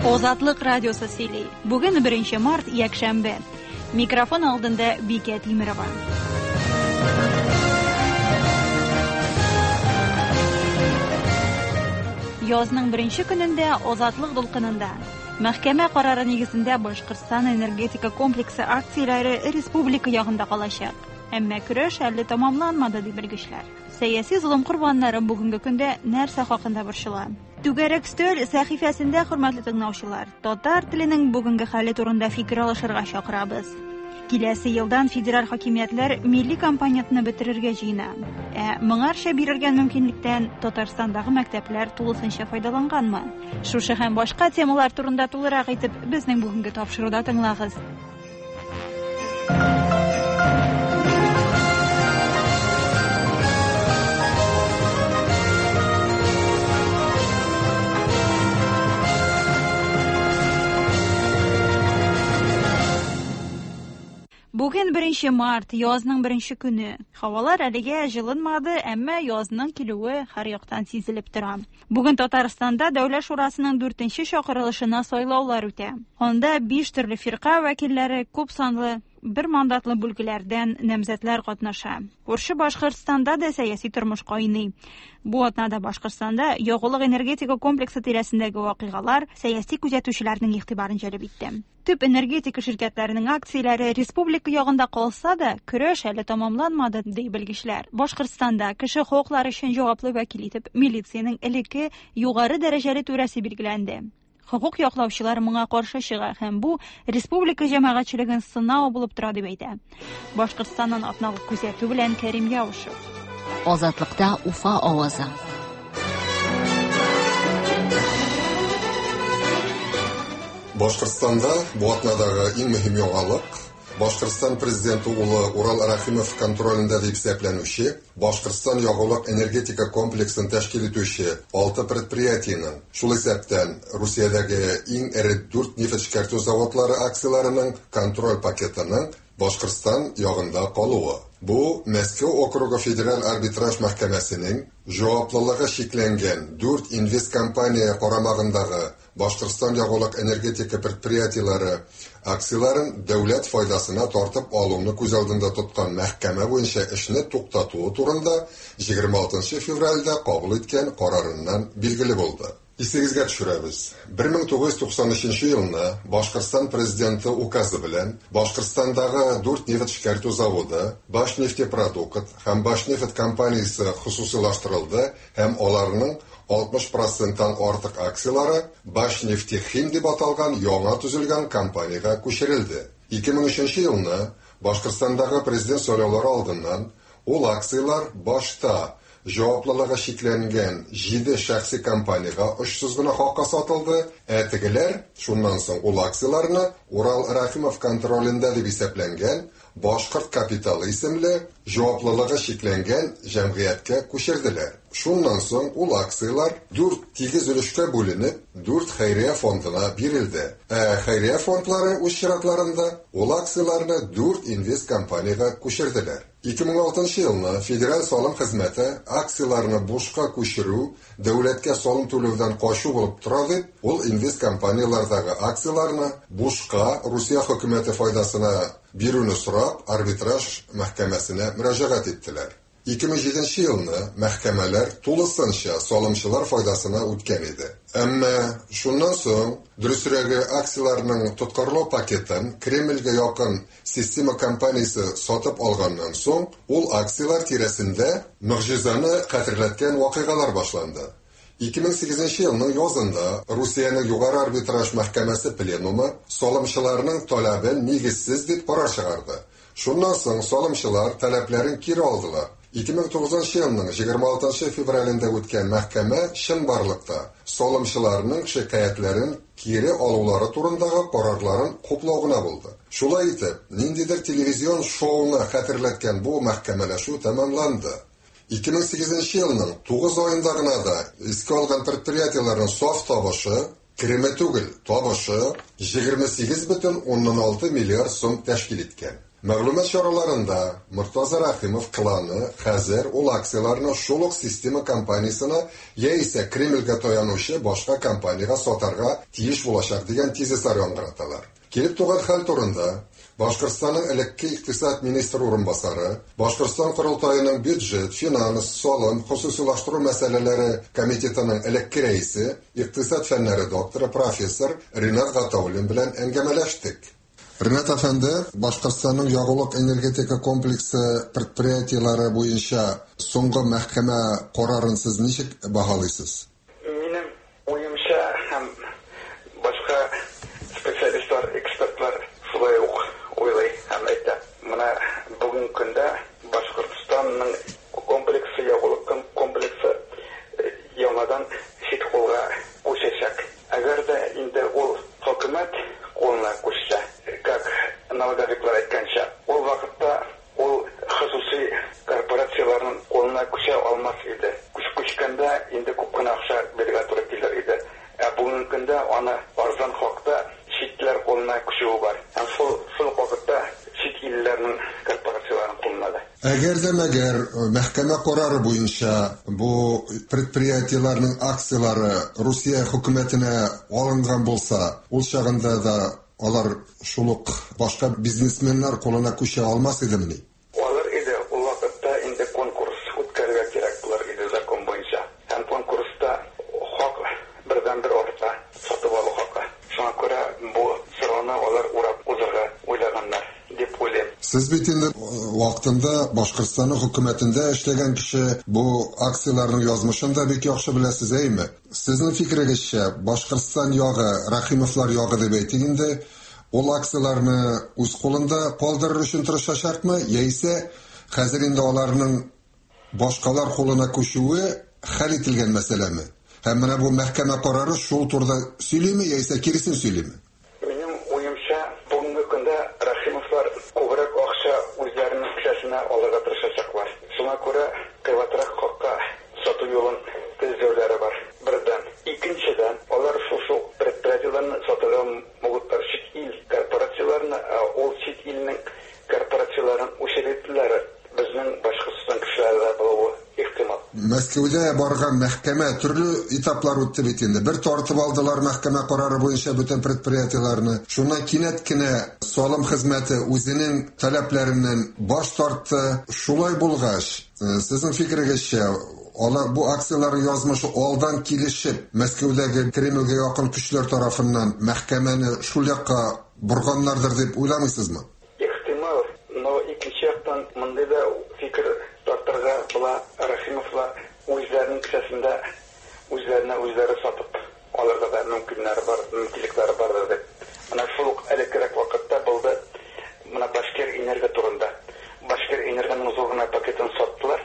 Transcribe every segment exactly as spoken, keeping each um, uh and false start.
Азатлык радиосы сөйли. Бүген беренче март, якшәмбе. Микрофон алдында Бикә Тимерова. Язның беренче көнендә Азатлык дулкынында мәхкәмә карары нигезендә Башкортстан энергетика комплексы акцияләре республика ягында калачак. Әмма көрәш әле тәмамланмады, ди белгечләр. Сәяси золым корбаннары бүгенге көндә нәрсә хакында борчыла? Түгәрәк өстәл сәхифәсендә, хөрмәтле тыңлаучылар, татар теленең бүгенге хәле турында фикер алышырга чакырабыз. Киләсе елдан федераль хакимиятләр милли компонентны бетерергә җыена. Ә моңарча бирелгән мөмкинлектән Татарстандагы мәктәпләр тулысынча файдаланганмы? Шушы һәм башка темалар турында тулырак итеп безнең бүгенге тапшыруда тыңлагыз. Бүген беренче март, язның беренче көне. Һавалар әлегә җылынмады, әмма язның килүе һәр яктан сизелеп тора. Бүген Татарстанда Дәүләт Шурасының дүртенче чакырылышына сайлаулар үтә. Анда биш төрле фирка вәкилләре, күп санлы бер мандатлы бүлгеләрдән намзәтләр катнаша. Күрше Башкортстанда да сәяси тормыш кайный. Бу атнада Башкортстанда ягулык энергетика комплексы тирәсендәге вакыйгалар сәяси күзәтүчеләрнең игътибарын җәлеп итте. Төп энергетика ширкәтләренең акцияләре республика ягында калса да, көрәш әле тәмамланмады, ди белгечләр. Башкортстанда кеше хокуклары өчен җаваплы вәкил итеп милициянең элекке югары дәрәҗәле түрәсе билгеләнде. Хокук яклаучылар моңа каршы чыга һәм бу республика җәмәгатьчелеген сынау булып тора дип әйтә. Башкортстаннан атналык күзәтү белән Кәрим Яушев. Азатлыкта Уфа авазы. Башкортстанда бу атнадагы иң мөһим яңалык Башкортстан президенты улы Урал Рәхимов контролендә дип исәпләнүче Башкортстан ягулык энергетика комплексын тәшкил итүче алты предприятиенең, шул исәптән Русиядәге иң эре дүрт нефть эшкәртү заводлары акцияләренең контроль пакетының Башкортстан ягында калуы. Бу Мәскәү округы федераль арбитраж мәхкәмәсенең җаваплылыгы чикләнгән дүрт инвесткомпания карамагындагы Башкортстан ягулык энергетика предприятиеләре акцияләрен дәүләт файдасына тартып алуны күз алдында тоткан мәхкәмә буенча эшне туктатуы турында егерме алтынчы февральдә кабул иткән карарыннан билгеле булды. Исегезгә төшерәбез. бер мең тугыз йөз туксан өченче елны Башкортстан президенты указы белән Башкортстандагы дүрт нефть эшкәртү заводы, Башнефтепродукт һәм Башнефть компаниясе хосусыйлаштырылды һәм аларның алтмыш проценттан артык акцияләре Башнефтехим дип аталган яңа төзелгән компаниягә күчерелде. ике мең өченче елны Башкортстандагы президент сайлаулары алдыннан ул акцияләр башта җаваплылыгы чикләнгән җиде шәхси компаниягә очсыз гына хакка сатылды, ә тегеләр шуннан соң ул акцияләрне Урал Рәхимов контролендә дип исәпләнгән Башкорт капиталы исемле җаваплылыгы чикләнгән җәмгыятькә күчерделәр. Шуннан соң ул акцияләр дүрт тигез өлешкә бүленеп, дүрт хәйрия фондына бирелде. Ә хәйрия фондлары үз чиратларында ул акцияләрне дүрт инвест компаниягә күчерделәр. ике мең алтынчы елны Федераль салым хезмәте акцияләрне бушка күчерү, дәүләткә салым түләүдән качу булып тора дип, ул инвест компанияләрдәге акцияләрне бушка Русия хөкүмәте файдасына бирүне сорап, арбитраж мәхкәмәсенә мөрәҗәгать иттеләр. ике мең җиденче елны мәхкәмәләр тулысынча салымчылар файдасына үткән иде. Әмма шуннан соң, дөресрәге, акцияләрнең тоткарлау пакетын Кремльгә якын система компаниясе сатып алганнан соң, ул акцияләр тирәсендә могҗизаны хәтерләткән вакыйгалар башланды. ике мең сигезенче елның язында Русиянең югары арбитраж мәхкәмәсе пленумы салымчыларның таләбен нигезсез дип карар чыгарды. Шуннан соң салымчылар таләпләрен кире алдылар. ике мең тугызынчы елның егерме алтынчы февралендә үткән мәхкәмә чынбарлыкта салымчыларның шикаятьләрен кире алулары турындагы карарларын хуплау гына булды. Шулай итеп, ниндидер телевизион шоуны хәтерләткән бу мәхкәмәләшү тәмамланды. ике мең сигезенче елның тугыз аенда гына да искә алган предприятиеләрнең саф табышы, кереме түгел, табышы егерме сигез бөтен уннан алты миллиард сум тәшкил иткән. Мәгълүмат чараларында Мортаза Рәхимов кланы хәзер ул акцияләрне шул ук система компаниясенә яисә Кремльгә таянучы башка компаниягә сатарга тиеш булачак дигән тезислар яңгыраталар. Килеп туган хәл турында Башкортстанның элекке икътисад министры урынбасары, Башкортстан Корылтаеның бюджет, финанс, салым, хосусилаштыру мәсьәләләре комитетының элекке рәисе, икътисад фәннәре докторы, профессор Ринат Гатауллин белән әңгәмәләштек. Ринат әфәнде, Башкортстанның ягулык энергетика комплексы предприятиеләре буенча соңгы мәхкәмә карарын сез ничек баһалыйсыз? Минем уемча һәм башка специалистлар, экспертлар шулай ук уйлый һәм әйтә. Менә бүгенге көндә Башкортстанның комплексы, ягулык комплексы яңадан чит кулга күчәчәк. Әгәр дә инде ул хөкүмәт кулына күчсә, как налоговиклар әйткәнчә, ул вакытта ул хосусый корпорацияләрнең кулына күчә алмас иде. Күч күчкәндә инде күп кенә акча бирергә туры килер иде. Ә бүгенге көндә аны арзан хакта читләр кулына күчүе бар. Һәм шул шул вакытта чит илләрнең корпорацияләренең кулына да. Әгәр дә мәгәр мәхкәмә карары буенча бу предприятиеләрнең акцияләре Русия хөкүмәтенә алынган булса, ул чагында да алар шул ук башка бизнесменнар кулына күчә алмас идемени? Алыр иде. Ул вакытта инде конкурс үткәрергә кирәк булыр иде закон буенча. Һәм конкурста хак бердән-бер арта, сатып алу хакы. Шуңа күрә бу сорауны алар урап узарга уйлаганнар дип уйлыйм. Сез бит инде вакытында Башкортстанның хөкүмәтендә эшләгән кеше, бу акцияләрнең язмышын да бик яхшы беләсез, әйме? Сезнең фикерегезчә, Башкортстан ягы, Рәхимовлар ягы дип әйтик инде, ул акцияләрне үз кулында калдырыр өчен тырышачакмы, яисә хәзер инде аларның башкалар кулына күчүе хәл ителгән мәсьәләме? Һәм менә бу мәхкәмә карары шул турыда сөйлиме, яисә киресен сөйлиме? Минем уемча, бүгенге көндә Рәхимовлар күбрәк акча үзләренең кесәсенә алырга тырышачаклар. Шуңа күрә кыйбатрак хакка сату юлын эзләүләре бар. Бердән. Икенчедән, алар шушы предприятиеләрне сатырга могутлар чит ил корпорацияләренә, ә ул чит илнең корпорацияләрен учредителләре безнең Башкортстан кешеләре дә булуы ихтимал. Мәскәүдә барган мәхкәмә төрле этаплар үтте бит инде. Бер тартып алдылар мәхкәмә карары буенча бөтен предприятиеләрне. Шуннан кинәт кенә салым хезмәте үзенең таләпләреннән баш тартты. Шулай булгач, сезнең фикерегезчә, алар бу акцияләрнең язмышы алдан килешеп, Мәскәүдәге Кремльгә якын көчләр тарафыннан мәхкәмәне шул якка борганнардыр дип уйламыйсызмы? Ихтимал, но икенче яктан мондый да фикер тартырга була. Рәхимовлар үзләренең кесәсендә үзләренә үзләре сатып алырга да мөмкиннәре бар, мөмкинлекләре бардыр дип. Менә шул ук элеккерәк вакытта булды. Менә Башкир энерго турында. Башкир энергоның зур гына пакетын саттылар.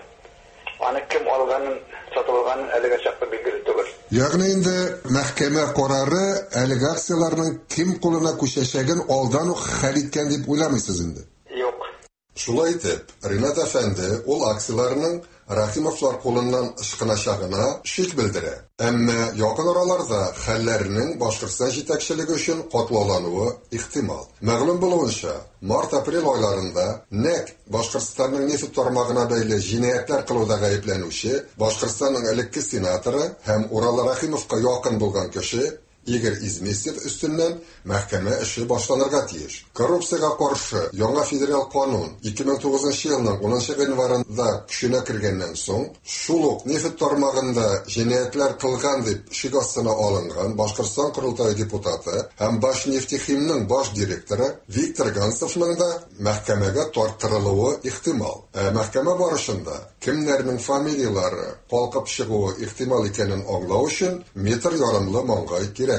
Аны кем алганын, сатып алганын әлегә чаклы билгеле түгел. Ягъни инде мәхкәмә карары әлеге акцияләрнең кем кулына күчәчәген алдан ук хәл иткән дип уйламыйсыз инде? Юк. Шулай итеп, Ринат әфәнде ул акцияләрнең Рәхимовлар кулыннан ычкыначагына шик белдерә. Әмма якын араларда хәлләрнең Башкортстан җитәкчелеге өчен катлаулануы ихтимал. Мәгълүм булуынча, март-апрель айларында нәкъ Башкортстанның нефть тармагына бәйле җинаятьләр кылуда гаепләнүче Башкортстанның элекке сенаторы һәм Урал Рәхимовка якын булган кеше Игорь Изместьев өстеннән мәхкәмә эше башланырга тиеш. Коррупциягә каршы яңа федераль канун ике мең тугызынчы елның унынчы гыйнварында көченә кергәннән соң, шул ук нефть тармагында җинаятьләр кылган дип шик астына алынган Башкортстан Корылтае депутаты һәм Башнефтехимның баш директоры Виктор Гансовның да мәхкәмәгә тарттырылуы ихтимал. Ә мәхкәмә барышында кемнәрнең фамилияләре калкып чыгуы ихтимал икәнен аңлау өчен метр ярымлы маңгай кирәк.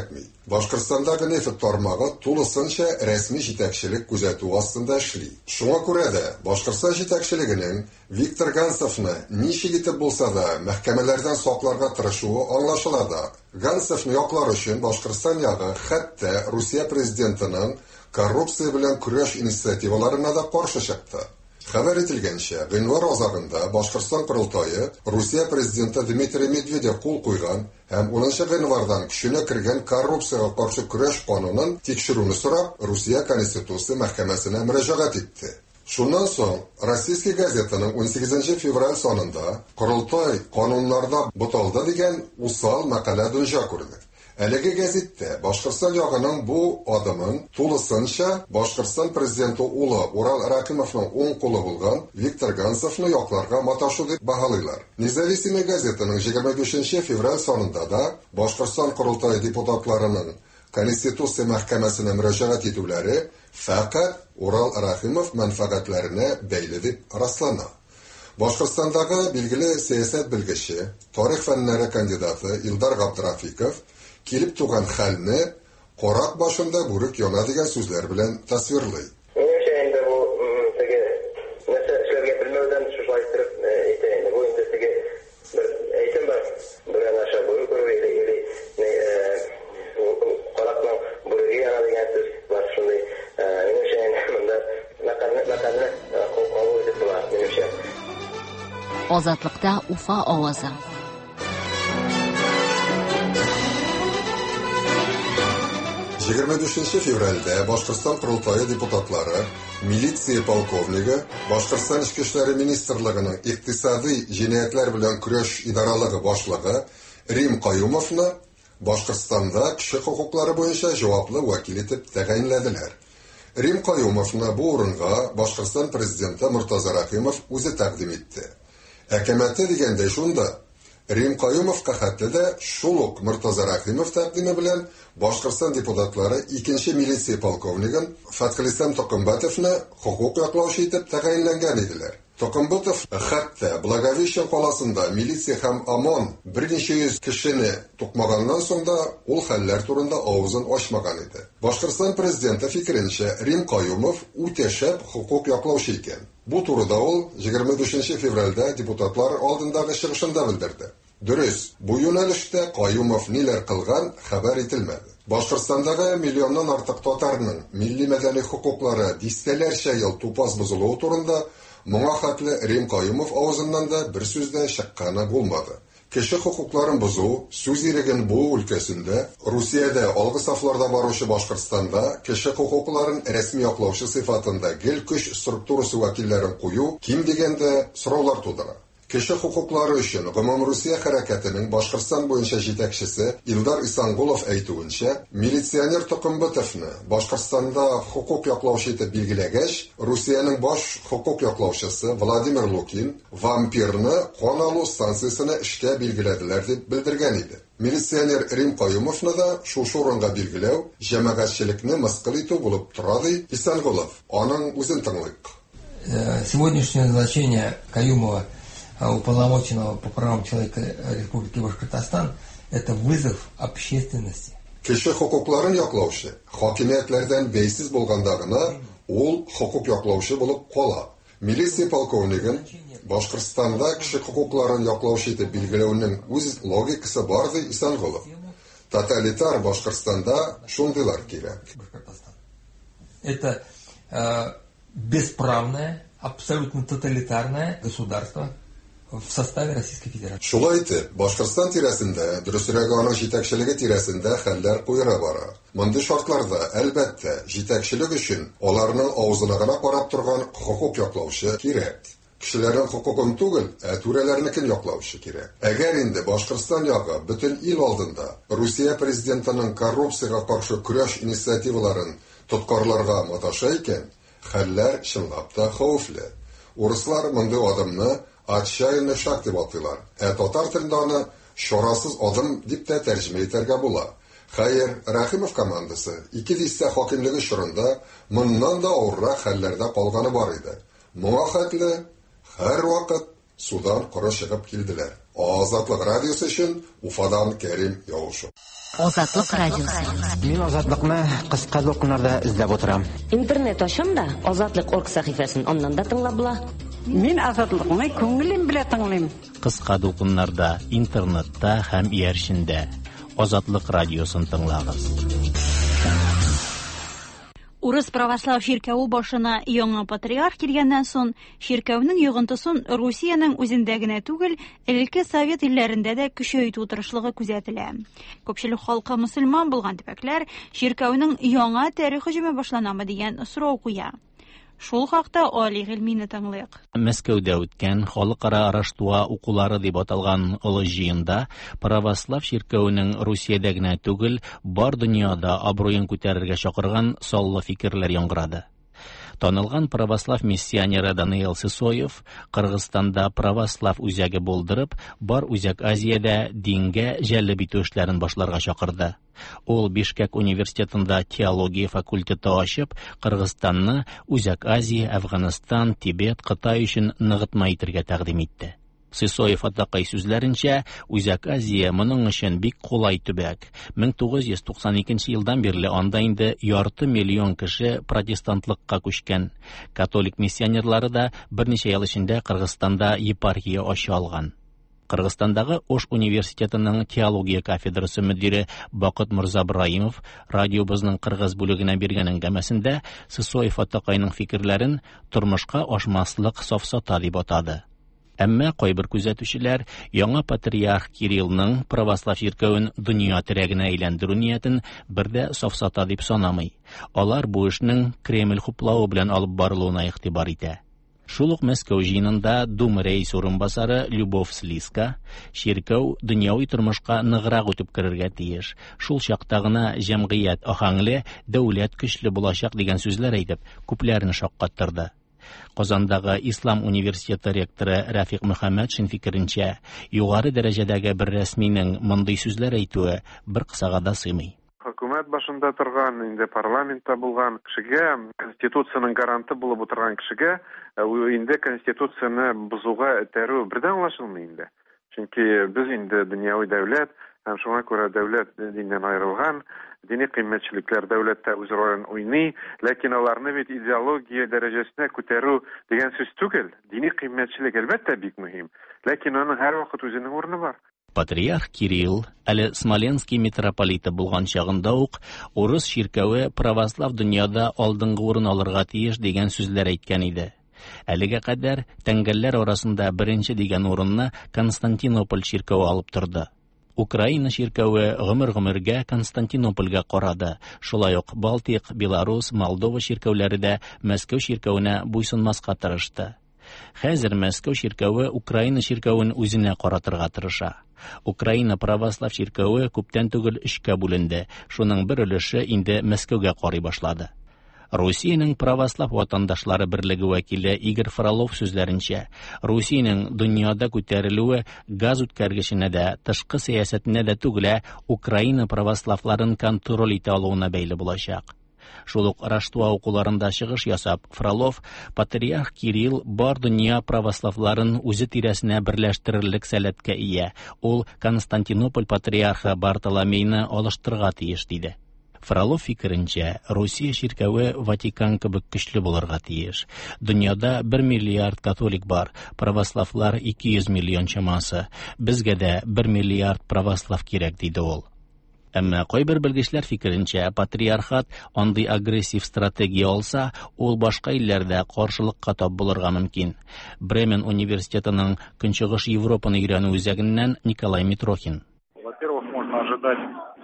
Башкортстандагы нефть тармагы тулысынча рәсми җитәкчелек күзәтү астында эшли. Шуңа күрә дә Башкортстан җитәкчелегенең Виктор Гансовны ничек итеп булса да мәхкәмәләрдән сакларга тырышуы аңлашыла да. Гансовны яклар өчен Башкортстан ягы хәтта Русия президентының коррупция белән көрәш инициативаларына да каршы чыкты. Хәбәр ителгәнчә, гыйнвар азагында Башкортстан Корылтае Русия президенты Дмитрий Медведев кул куйган һәм унынчы гыйнвардан көченә кергән коррупциягә каршы көрәш канунын тикшерүне сорап, Русия Конституция мәхкәмәсенә мөрәҗәгать итте. Шуннан соң Российский газетаның унсигезенче февраль санында Корылтай кануннарда буталды дигән усал мәкалә дөнья күрде. Әлеге гәзиттә Башкортстан ягының бу адымын тулысынча Башкортстан президенты улы Урал Рәхимовның уң кулы булган Виктор Гансовны якларга маташу дип баһалыйлар. Независимый газетаның егерме бишенче февраль санында да Башкортстан Корылтае депутатларының Конституция мәхкәмәсенә мөрәҗәгать итүләре фәкать Урал Рәхимов мәнфәгатьләренә бәйле дип раслана. Башкортстандагы билгеле сәясәт белгече, тарих фәннәре кандидаты Илдар Габдрафиков килеп туган хәлне карак башында бүрек яна дигән сүзләр белән тасвирлый. Минемчә инде бу теге нәрсә эшләргә белмәүдән шулай иттереп әйтә инде. Бу инде теге бер әйтем бар. Бүрәнә аша бүре күрү или или каракның бүреге яна дигән сүз бар шундый. Минемчә инде монда мәкальне мәкальне кабул итеп була, минемчә. Азатлыкта Уфа авазы. Егерме дүртенче февральдә Башкортстан Корылтае депутатлары милиция полковнигы, Башкортстан Эчке эшләре министрлыгының икътисади җинаятьләр белән көрәш идаралыгы башлыгы Рим Каюмовны Башкортстанда кеше хокуклары буенча җаваплы вәкил итеп тәгаенләделәр. Рим Каюмовны бу урынга Башкортстан президенты Муртаза Рәхимов үзе тәкъдим итте. Әкәмәте дигәндә шунда Рим Каюмовка хәтле дә шул ук Муртаза Рәхимов тәкъдиме белән Башкортстан депутатлары икенче милиция полковнигын Фәтхелислам Токымбатовны хокук яклаучы итеп тәгаенләнгән иделәр. Токымбатов хәтта Благовещен каласында милиция һәм ОМОН берничә йөз кешене тукмаганнан соң да ул хәлләр турында авызын ачмаган иде. Башкортстан президенты фикеренчә, Рим Каюмов үтә шәп хокук яклаучы икән. Бу турыда ул егерме дүртенче февральдә депутатлар алдындагы чыгышында белдерде. Дөрес, бу юнәлештә Каюмов ниләр кылган хәбәр ителмәде. Башкортстандагы миллионнан артык татарның милли мәдәни хокуклары дистәләрчә ел тупас бозылуы турында моңа хәтле Рим Каюмов авызыннан да бер сүз дә чыкканы булмады. Кеше хокукларын бозу, сүз иреген буу өлкәсендә Русиядә алгы сафларда баручы Башкортстанда кеше хокукларын рәсми яклаучы сыйфатында гел көч структурасы вәкилләрен кую ким дигәндә сораулар тудыра. Кеше хокуклары өчен Гомумрусия хәрәкәтенең Башкортстан буенча җитәкчесе Илдар Исангулов әйтүенчә, милиционер Токымбатовны Башкортстанда хокук яклаучы итеп билгеләгәч, Русиянең баш хокук яклаучысы Владимир Лукин вампирны кан алу станциясенә эшкә билгеләделәр дип белдергән иде. Милиционер Рим Каюмовны да шушы урынга билгеләү җәмәгатьчелекне мыскыл итү булып тора, ди Исангулов. Аның үзен тыңлыйк. Сегодняшнее назначение Каюмова уполномоченного по правам человека Республики Башкортостан это вызов общественности. Кеше хокукларын яклаучы хакимиятләрдән бәйсез булганда гына ул хокук яклаучы булып кала. Милиция полковнигын Башкортстанда кеше хокукларын яклаучы итеп билгеләүнең үз логикасы бар, ди Исангулов. Тоталитар Башкортстанда шундыйлар кирәк. Это э, бесправное, абсолютно тоталитарное государство в составе Российской Федерации. Шулай итеп, Башкортстан тирәсендә, дөресрәге аның җитәкчелеге тирәсендә хәлләр куера бара. Мондый шартларда, әлбәттә, җитәкчелек өчен аларның авызына гына карап торган хокук яклаучы кирәк. Кешеләрнең хокукын түгел, ә түрәләрнекен яклаучы кирәк. Әгәр инде Башкортстан ягы бөтен ил алдында Русия президентының коррупциягә каршы көрәш инициативаларын тоткарларга маташа икән, хәлләр чынлап та хәвефле. Урыслар мондый адымны отчаянный шаг дип атыйлар. Ә татар телендә аны чарасыз адым дип тә тәрҗемә итәргә була. Хәер, Рәхимов командасы ике дистә хакимлеге чорында моннан да авыррак хәлләрдә калганы бар иде. Моңа хәтле һәр вакыт судан коры чыгып килделәр. Азатлык радиосы өчен Уфадан Кәрим Яушев. Азатлык радиосы. Мин Азатлыкны кыска дулкыннарда эзләп утырам. Интернет ачам да Азатлык орг сәхифәсен аннан да тыңлап була. Мин Азатлыкны күңелем белән тыңлыйм. Кыска дулкыннарда, интернетта һәм иярчендә Азатлык радиосын тыңлагыз. Урыс православ чиркәве башына яңа патриарх килгәннән соң, чиркәүнең йогынтысын Русиянең үзендә генә түгел, элекке совет илләрендә дә көчәйтү тырышлыгы күзәтелә. Күпчелек халкы мөселман булган төбәкләр чиркәүнең яңа тәре һөҗүме башланамы дигән сорау куя. Шул хакта Али Гыйльмине тыңлыйк. Мәскәүдә үткән халыкара Раштуа укулары дип аталган олы җыенда православ чиркәвенең Русиядә генә түгел, бар дөньяда абруен күтәрергә чакырган саллы фикерләр яңгырады. Танылган православ миссионеры Даниил Сысоев Кыргызстанда православ үзәге булдырып, бар Үзәк Азиядә дингә җәлеп итү эшләрен башларга чакырды. Ул Бишкек университетында теология факультеты ачып, Кыргызстанны Үзәк Азия, Әфганстан, Тибет, Кытай өчен ныгытма итергә тәкъдим итте. Сысоев атакай сүзләренчә, Үзәк Азия моның өчен бик кулай төбәк. мең тугыз йөз туксан икенче елдан бирле анда инде ярты миллион кеше протестантлыкка күчкән. Католик миссионерлары да берничә ел эчендә Кыргызстанда епархия ача алган. Кыргызстандагы Ош университетының теология кафедрасы мөдире Бакыт Мырзабраимов радиобызның кыргыз бүлегенә биргән әңгәмәсендә Сысоев атакайның фикерләрен тормышка ашмаслык сафсата дип атады. Әмма кайбер күзәтүчеләр яңа патриарх Кириллның православ чиркәвен дөнья терәгенә әйләндерү ниятен бер дә сафсата дип санамый. Алар бу эшнең Кремль хуплавы белән алып барылуына игътибар итә. Шул ук Мәскәү җыенында Дума рәисе урынбасары Любовь Слиска чиркәү дөньяви тормышка ныграк үтеп керергә тиеш. Шул чакта гына җәмгыять аһәңле, дәүләт көчле булачак дигән сүзләр әйтеп, күпләрне шаккаттырды. Казандагы Ислам университеты ректоры Рафик Мөхәммәтшин фикеренчә, югары дәрәҗәдәге бер рәсминең мондый сүзләр әйтүе бер кысага да сыймый. Хөкүмәт башында торган, инде парламентта булган кешегә, конституциянең гаранты булып утырган кешегә, инде конституцияне бозуга этәрү бердән аңлашылмый инде. Чөнки без инде дөньяви дәүләт, һәм шуңа күрә дәүләт диннән аерылган, дини кыйммәтчелекләр дәүләттә үз ролен уйный, ләкин аларны бит идеология дәрәҗәсенә күтәрү дигән сүз түгел. Дини кыйммәтчелек әлбәттә бик мөһим, ләкин аның һәрвакыт үзенең урыны бар. Патриарх Кирилл әле Смоленский митрополиты булган чагында ук урыс чиркәве православ дөньяда алдынгы урын алырга тиеш дигән сүзләр әйткән иде. Әлегә кадәр тәңгәлләр арасында беренче дигән урынны Константинополь чиркәве алып торды. Украина чиркәве гомер-гомергә Константинопольгә карады. Шулай ук Балтик, Беларус, Молдова чиркәүләре дә Мәскәү чиркәвенә буйсынмаска тырышты. Хәзер Мәскәү чиркәве Украина чиркәвен үзенә каратырга тырыша. Украина православ чиркәве күптән түгел өчкә бүленде. Шуның бер өлеше инде Мәскәүгә карый башлады. Русиянең православ ватандашлары берлеге вәкиле Игорь Фролов сүзләренчә, Русиянең дөньяда күтәрелүе газ үткәргеченә дә, тышкы сәясәтенә дә түгел, ә Украина православларын контроль итә алуына бәйле булачак. Шул ук Раштуа укуларында чыгыш ясап, Фролов патриарх Кирилл бар дөнья православларын үзе тирәсенә берләштерерлек сәләткә ия. Ул Константинополь патриархы Бартоломейны алыштырырга тиеш диде. Фролов фикеренчә, Русия чиркәве Ватикан кебек көчле булырга тиеш. Дөньяда бер миллиард католик бар, православлар ике йөз миллион чамасы. Безгә дә бер миллиард православ кирәк, диде ул. Әмма кайбер белгечләр фикеренчә, патриархат андый агрессив стратегия алса, ул башка илләрдә каршылыкка тап булырга мөмкин. Бремен университетының Көнчыгыш Европаны өйрәнү үзәгеннән Николай Митрохин. Во-первых, можно ожидать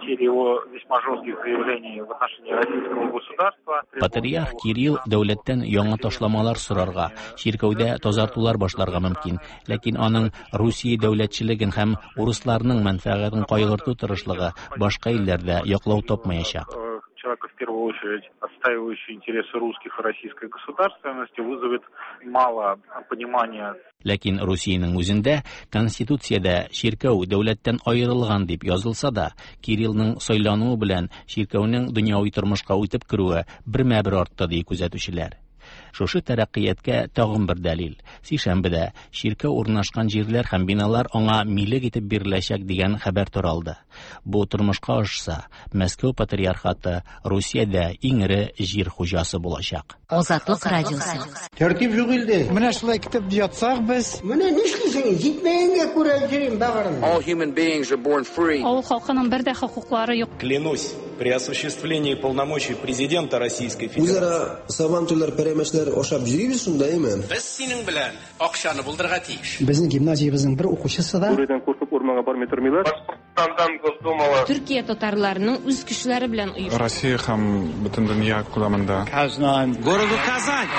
его весьма жестких заявлений в отношении российского государства. Патриарх Кирилл дәүләттән яңа ташламалар сорарга, чиркәүдә тазартулар башларга мөмкин. Ләкин аның Русия дәүләтчелеген һәм урысларның мәнфәгатен кайгырту тырышлыгы башка илләрдә яклау тапмаячак. Человека, в первую очередь, отстаивающий интересы русских и российской государственности, вызовет мало понимания. Ләкин Русиянең үзендә Конституциядә чиркәү дәүләттән аерылган дип язылса да, Кириллның сайлануы белән чиркәүнең дөньяви тормышка үтеп керүе бермә-бер артты, ди күзәтүчеләр. Шушы тәрәккыяткә тагын бер дәлил. Сишәмбедә чиркәү урнашкан җирләр һәм биналар аңа милек итеп биреләчәк дигән хәбәр таралды. Бу тормышка ашса, Мәскәү патриархаты Русиядә иң эре җир хуҗасы булачак. Азатлык радиосы. Тәртип юк илдә. Менә шулай китеп ятсак без. Менә нишлисең? Җитмәгәнгә күрә йөрим багырым. All human beings are born free. Авыл халкының бер дә хокуклары юк. Клянусь при осуществлении полномочий президента Российской Федерации. Үзара сабантуйлар, пәрәмәчләр ашап йөрибез шунда, әйме? Без синең белән акчаны булдырырга тиеш. Безнең гимназиябезнең бер укучысы да Бүредән куркып урманга бармый тормыйлар. Башкортстандан Госдумала. Төркия татарларының үз көчләре белән оештырган. Россия һәм бөтен дөнья күләмендә. Казан. Городу Казань.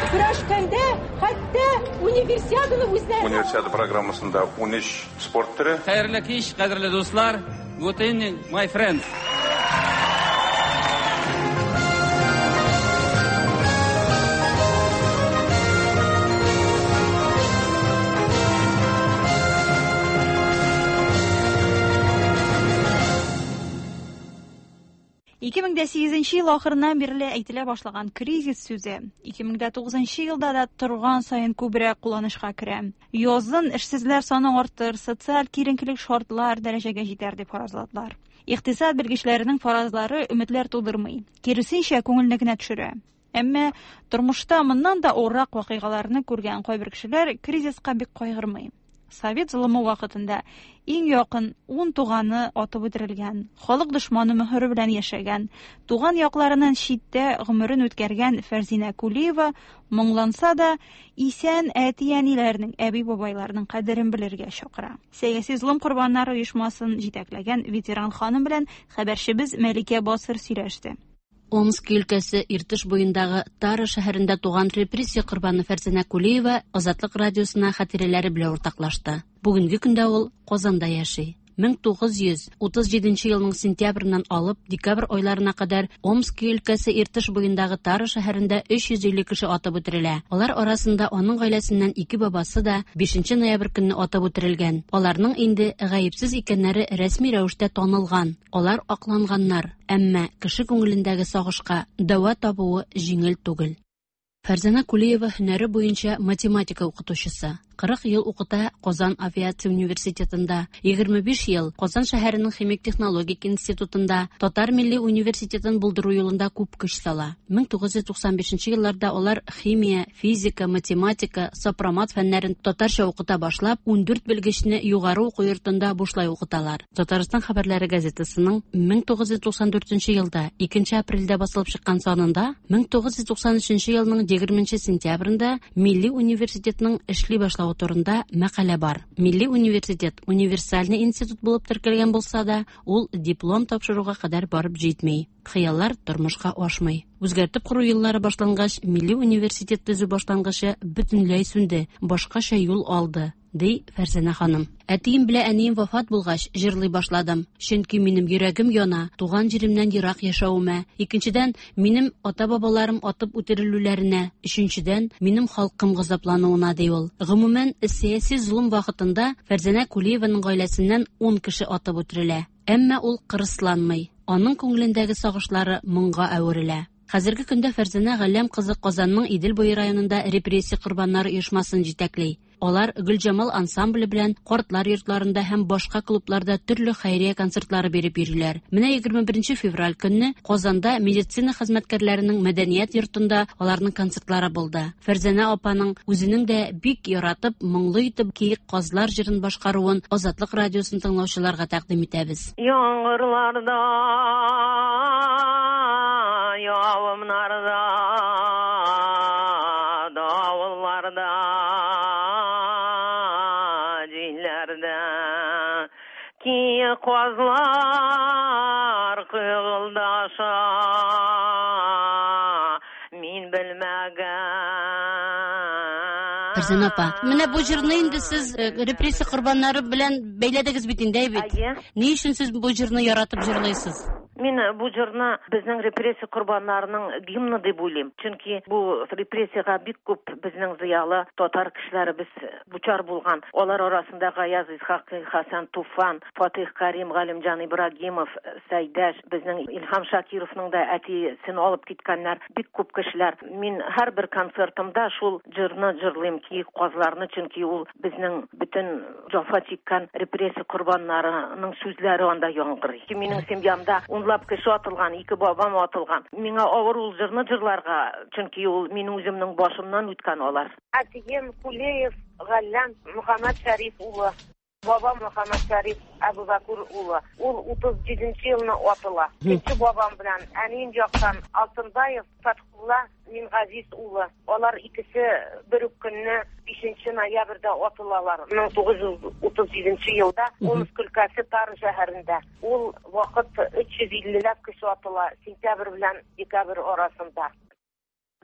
Көрәшкәндә хәтта универсиаданы үзләре. Универсиада программасында ун өч спорт төре. Хәерле кич, кадерле дуслар. Good evening, my friends. ике мең дә сигезенче ел ахырыннан бирле әйтелә башлаган кризис сүзе ике мең дә тугызынчы елда да торган саен күбрәк кулланышка керә. Язын эшсезләр саны артыр, социаль киеренкелек шартлар дәрәҗәгә җитәр дип фаразладылар. Икътисад белгечләренең фаразлары өметләр тудырмый, киресенчә күңелне генә төшерә. Әмма тормышта моннан да авыррак вакыйгаларны күргән кайбер кешеләр кризиска бик кайгырмый. Совет золымы вакытында иң якын ун туганы атып үтерелгән, халык дошманы мөһере белән яшәгән, туган якларыннан читтә гомерен үткәргән Фәрзинә Кулиева моңланса да, исән әти-әниләрнең, әби-бабайларның кадерен белергә чакыра. Сәяси золым корбаннары оешмасын җитәкләгән ветеран ханым белән хәбәрчебез Мәликә Басыр сөйләште. Омск өлкәсе Иртыш буендагы Тара шәһәрендә туган репрессия корбаны Фәрзинә Кулиева Азатлык радиосына хатирәләре белән уртаклашты. Бүгенге көндә ул Казанда яши. мең тугыз йөз утыз җиденче елның сентябреннән алып декабрь айларына кадәр Омск өлкәсе Иртыш буендагы Тара шәһәрендә өч йөз илле кеше атып үтерелә. Алар арасында аның гаиләсеннән ике бабасы да бишенче ноябрь көнне атып үтерелгән. Аларның инде гаепсез икәннәре рәсми рәвештә танылган. Алар акланганнар. Әмма кеше күңелендәге сагышка дәва табуы җиңел түгел. Фәрзәнә Кулиева һөнәре буенча математика укытучысы. Кырык ел укыта Казан авиация университетында, егерме биш ел Казан шәһәренең химик технологик институтында, Татар милли университетын булдыру юлында күп көч сала. мең тугыз йөз туксан бишенче елларда алар химия, физика, математика, сопромат фәннәрен татарча укыта башлап, ундүрт белгечне югары уку йортында бушлай укыталар. Татарстан хәбәрләре газетасының мең тугыз йөз туксан дүртенче елда икенче апрельдә басылып чыккан санында мең тугыз йөз туксан өченче елның егерменче сентябрендә Милли университетның эшли башлавы турында мәкалә бар. Милли университет универсальный институт булып теркәлгән булса да, ул диплом тапшыруга кадәр барып җитми. Хыяллар тормышка ашмый. Үзгәртеп кору еллары башлангач, Милли университет төзү башлангычы бөтенләй сүнде, башкача юл алды, ди Фәрзәнә ханым. Әтием белән әнием вафат булгач, җырлый башладым. Чөнки минем йөрәгем яна, туган җиремнән ерак яшәвемә. Икенчедән, минем ата-бабаларым атып үтерелүләренә. Өченчедән, минем халкым газаплануына, ди ул. Гомумән, сәяси золым вакытында Фәрзәнә Кулиеваның гаиләсеннән ун кеше атып үтерелә. Әмма ул кырысланмый. Аның күңелендәге сагышлары моңга әверелә. Хәзерге көндә Фәрзәнә Галләм кызы Казанның Идел буе районында репрессия корбаннары оешмасын җитәкли. Алар Гөлҗамал ансамбле белән картлар йортларында һәм башка клубларда төрле хәйрия концертлары биреп йөриләр. Менә егерме беренче февраль көнне Казанда медицина хезмәткәрләренең мәдәният йортында аларның концертлары булды. Фәрзәнә апаның үзенең дә бик яратып, моңлы итеп Киек казлар җырын башкаруын Азатлык радиосын тыңлаучыларга тәкъдим итәбез. Яңгырларда, явымнарда, давылларда, җилләрдә киек казлар кыгылдаша, мин белмәгән. Фәрзәнә апа, менә бу җырны инде сез репрессия корбаннары белән бәйләдегез бит инде, бит. Ни өчен сез бу җырны яратып җырлыйсыз? Мин бу җырны безнең репрессия корбаннарының гимны дип уйлыйм. Чөнки бу репрессиягә бик күп безнең зыялы татар кешеләребез дучар булган. Алар арасында Гаяз Исхакый, Хасан Туфан, Фатих Карим, Галимҗан Ибрагимов, Сәйдәш, безнең Илһам Шакировның да әтисен алып киткәннәр, бик күп кешеләр. Мин һәрбер концертымда шул җырны җырлыйм, Киек казларны, чөнки ул безнең бөтен җәфа чиккән репрессия корбаннарының сүзләре анда яңгырый. Минем семьямда унлап кеше атылган, ике бабам атылган. Миңа авыр ул җырны җырларга, чөнки ул минем үземнең башымнан үткән алар. Әтием Кулеев Галләм Мөхәммәд Шәриф улы. Бабам Мөхәммәд Шәриф Әбүбәкер улы. Ул утыз җиденче елны атыла. Кече бабам белән әнием яктан Алтынбаев Фатхулла Мингазиз улы. Алар икесе бер үк көнне бишенче ноябрьдә атылалар. мең тугыз йөз утыз җиденче елда Омск өлкәсе Тара шәһәрендә. Ул вакыт өч йөз иллеләп кеше атыла, сентябрь белән декабрь арасында.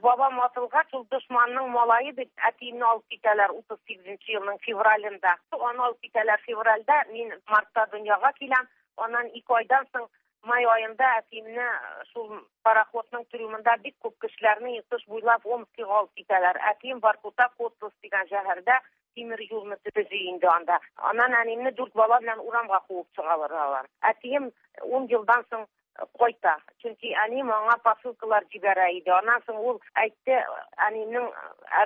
Бабам атылгач, ул дошманның малае дип әтиемне алып китәләр утыз сигезенче елның февралендә. Аны алып китәләр февральдә, мин мартта дөньяга киләм. Аннан ике айдан соң май аенда әтиемне шул пароходның трюмында бик күп кешеләрне Иртыш буйлап Омскига алып китәләр. Әтием Воркута Котлас дигән шәһәрдә тимер юлны төзи инде анда. Аннан әниемне дүрт бала белән урамга куып чыгаралар. Әтием ун елдан соң кайта. Чөнки әнием аңа посылкалар җибәрә иде. Аннан соң ул әйтте, әниемнең,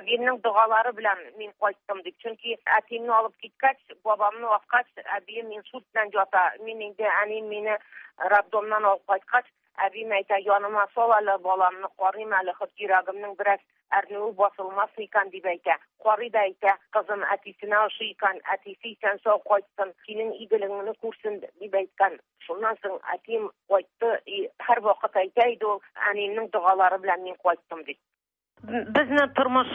әбиемнең догалары белән мин кайттым дип. Чөнки әтиемне алып киткәч, бабамны аткач, әбием инсульт белән ята. Мин инде әнием мине роддомнан алып кайткач, әбием әйтә, яныма сал әле баламны, карыйм әле, хот йөрәгемнең бераз әрнүе басылмас икән дип әйтә. Карый да әйтә, кызым әтисенә ошый икән, әтисе исән сау кайтсын, синең игелеңне күрсен дип әйткән. Шуннан соң әтием кайтты, һәр вакыт әйтә иде ул, әниемнең догалары белән мин кайттым дип. Безне тормыш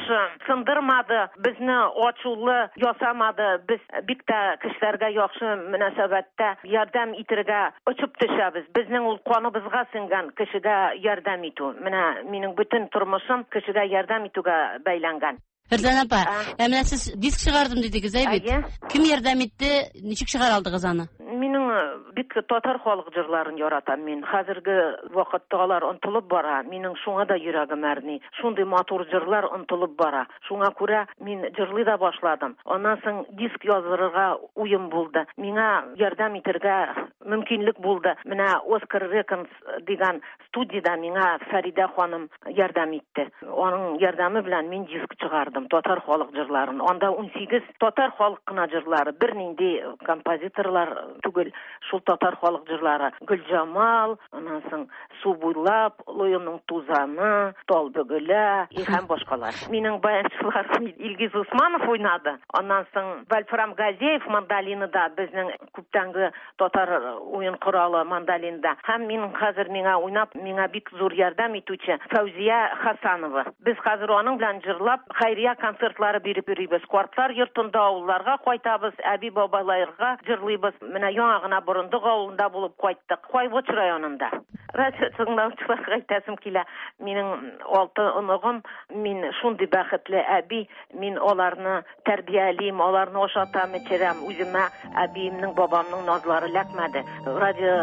сындырмады, безне ачулы ясамады. Без бик тә кешеләргә яхшы мөнәсәбәттә ярдәм итәргә очып төшәбез. Безнең ул каныбызга сеңгән кешегә ярдәм итү. Менә минем бөтен тормышым кешегә ярдәм итүгә бәйләнгән. Фәрзәнә апа, ә менә сез диск чыгардым дидегез, әй бит? Кем ярдәм итте, ничек чыгара алдыгыз аны? Минем бик татар халык җырларын яратам мин. Хәзерге вакытта алар онытылып бара. Минем шуңа да йөрәгем әрни. Шундый матур җырлар онытылып бара. Шуңа күрә мин җырлый да башладым. Аннан соң диск яздырырга уем булды. Миңа ярдәм итәргә мөмкинлек булды. Менә Оскар Реконс дигән студияда миңа Фәридә ханым ярдәм итте. Аның ярдәме белән мин диск чыгардым. Татар халык җырларын. Анда ун сигез татар халык кына җырлары, бернинди композиторлар түгел, шул татар халык җырлары. Гөлҗамал, аннан соң Су буйлап, Лоемның тузаны, Тал бөгелә һәм башкалар. Минем баянчыларым Илгиз Усманов уйнады. Аннан соң Вольфрам Газеев мандолинада, безнең күптәнге татар уен коралы мандолинда. Һәм мин хәзер миңа уйнап, миңа бик зур ярдәм итүче Фәүзия Хасанова. Без хәзер аның белән җырлап, хәйрия концертлары биреп йөрибез. Картлар йортында авылларга кайтабыз, әби-бабайларга җырлыйбыз. Менә яңа гына Борындык авылында булып кайттык, Кайбыч районында. Радио тыңлаучыларга әйтәсем килә, минем алты оныгым, мин шундый бәхетле әби, мин аларны тәрбиялим, аларны ашатам, эчерәм. Үземә әбиемнең, бабамның назлары эләкмәде. Радио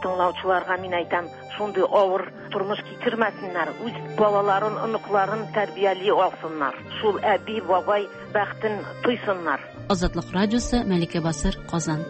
тыңлаучыларга мин әйтәм, шундый авыр тормыш кичермәсеннәр, үз балаларын, оныкларын тәрбияли алсыннар. Шул әби, бабай бәхетен тойсыннар. Азатлык радиосы, Мәликә Басыр, Казан.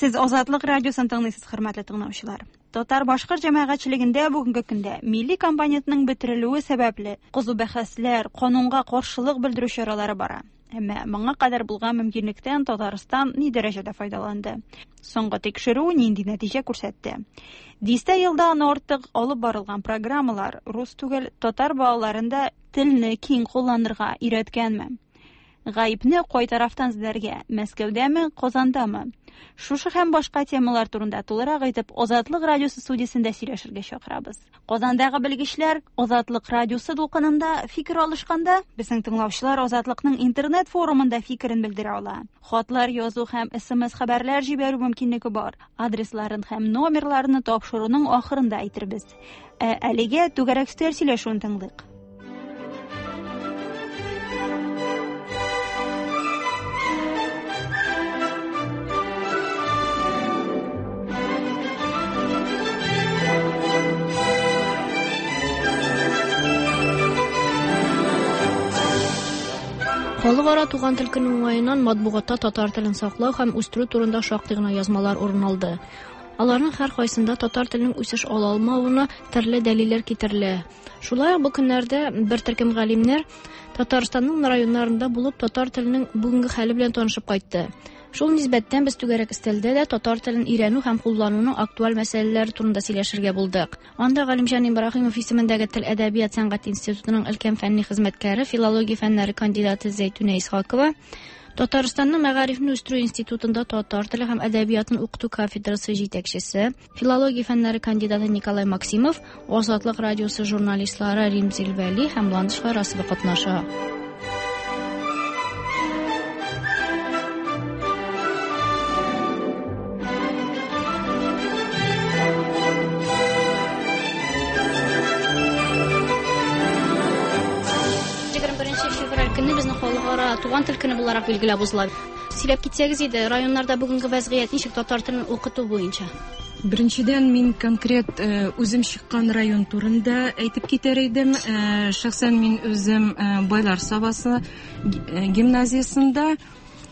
Сез Азатлык радиосын тыңлыйсыз, хөрмәтле тыңлаучылар. Татар-башкорт җәмәгатьчелегендә бүгенге көндә милли компонентның бетерелүе сәбәпле кызу бәхәсләр, канунга каршылык белдерү чаралары бара. Әмма моңа кадәр булган мөмкинлектән Татарстан ни дәрәҗәдә файдаланды? Соңгы тикшерү нинди нәтиҗә күрсәтте? Дистә елдан артык алып барылган программалар рус түгел татар балаларында телне киң кулланырга өйрәткәнме? Гаепне кай тарафтан эзләргә? Мәскәүдәме, Казандамы? Шушы һәм башка темалар турында тулырак итеп Азатлык радиосы студиясендә сөйләшергә чакырабыз. Казандагы белгечләр Азатлык радиосы дулкынында фикер алышканда, безнең тыңлаучылар Азатлыкның интернет форумында фикерен белдерә ала. Хатлар язу һәм эс эм эс хәбәрләр җибәрү мөмкинлеге бар. Адресларын һәм номерларны тапшыруның ахырында әйтербез. Ә әлегә түгәрәк өстәл сөйләшүен тыңлыйк. Халыкара туган тел көне уңаеннан матбугатта татар телен саклау һәм үстерү турында шактый гына язмалар урын алды. Аларның һәр кайсында татар теленең үсеш ала алмавына төрле дәлилләр китерелә. Шулай ук бу көннәрдә бер төркем галимнәр Татарстанның районнарында булып татар теленең бүгенге хәле белән танышып кайтты. Шул нисбәттән без түгәрәк өстәлдә дә татар телен өйрәнү һәм куллануның актуаль мәсьәләләре турында сөйләшергә булдык. Анда Галимҗан Ибраһимов исемендәге Тел әдәбият сәнгать институтының өлкән фәнни хезмәткәре, филология фәннәре кандидаты Зәйтүнә Исхакова, Татарстанның Мәгарифне үстерү институтында татар теле һәм әдәбиятын укыту кафедрасы җитәкчесе, филология фәннәре кандидаты Николай Максимов, Азатлык радиосы журналистлары Римзил Вәли һәм Ландыш Фарасова катнаша. Туган тел көне буларак билгеләп узыла. Сөйләп китсәгез иде, районнарда бүгенге вәзгыять ничек татар телен укыту буенча? Беренчедән, мин конкрет үзем чыккан район турында әйтеп китәр идем. Шәхсән мин үзем Байлар Сабасы гимназиясендә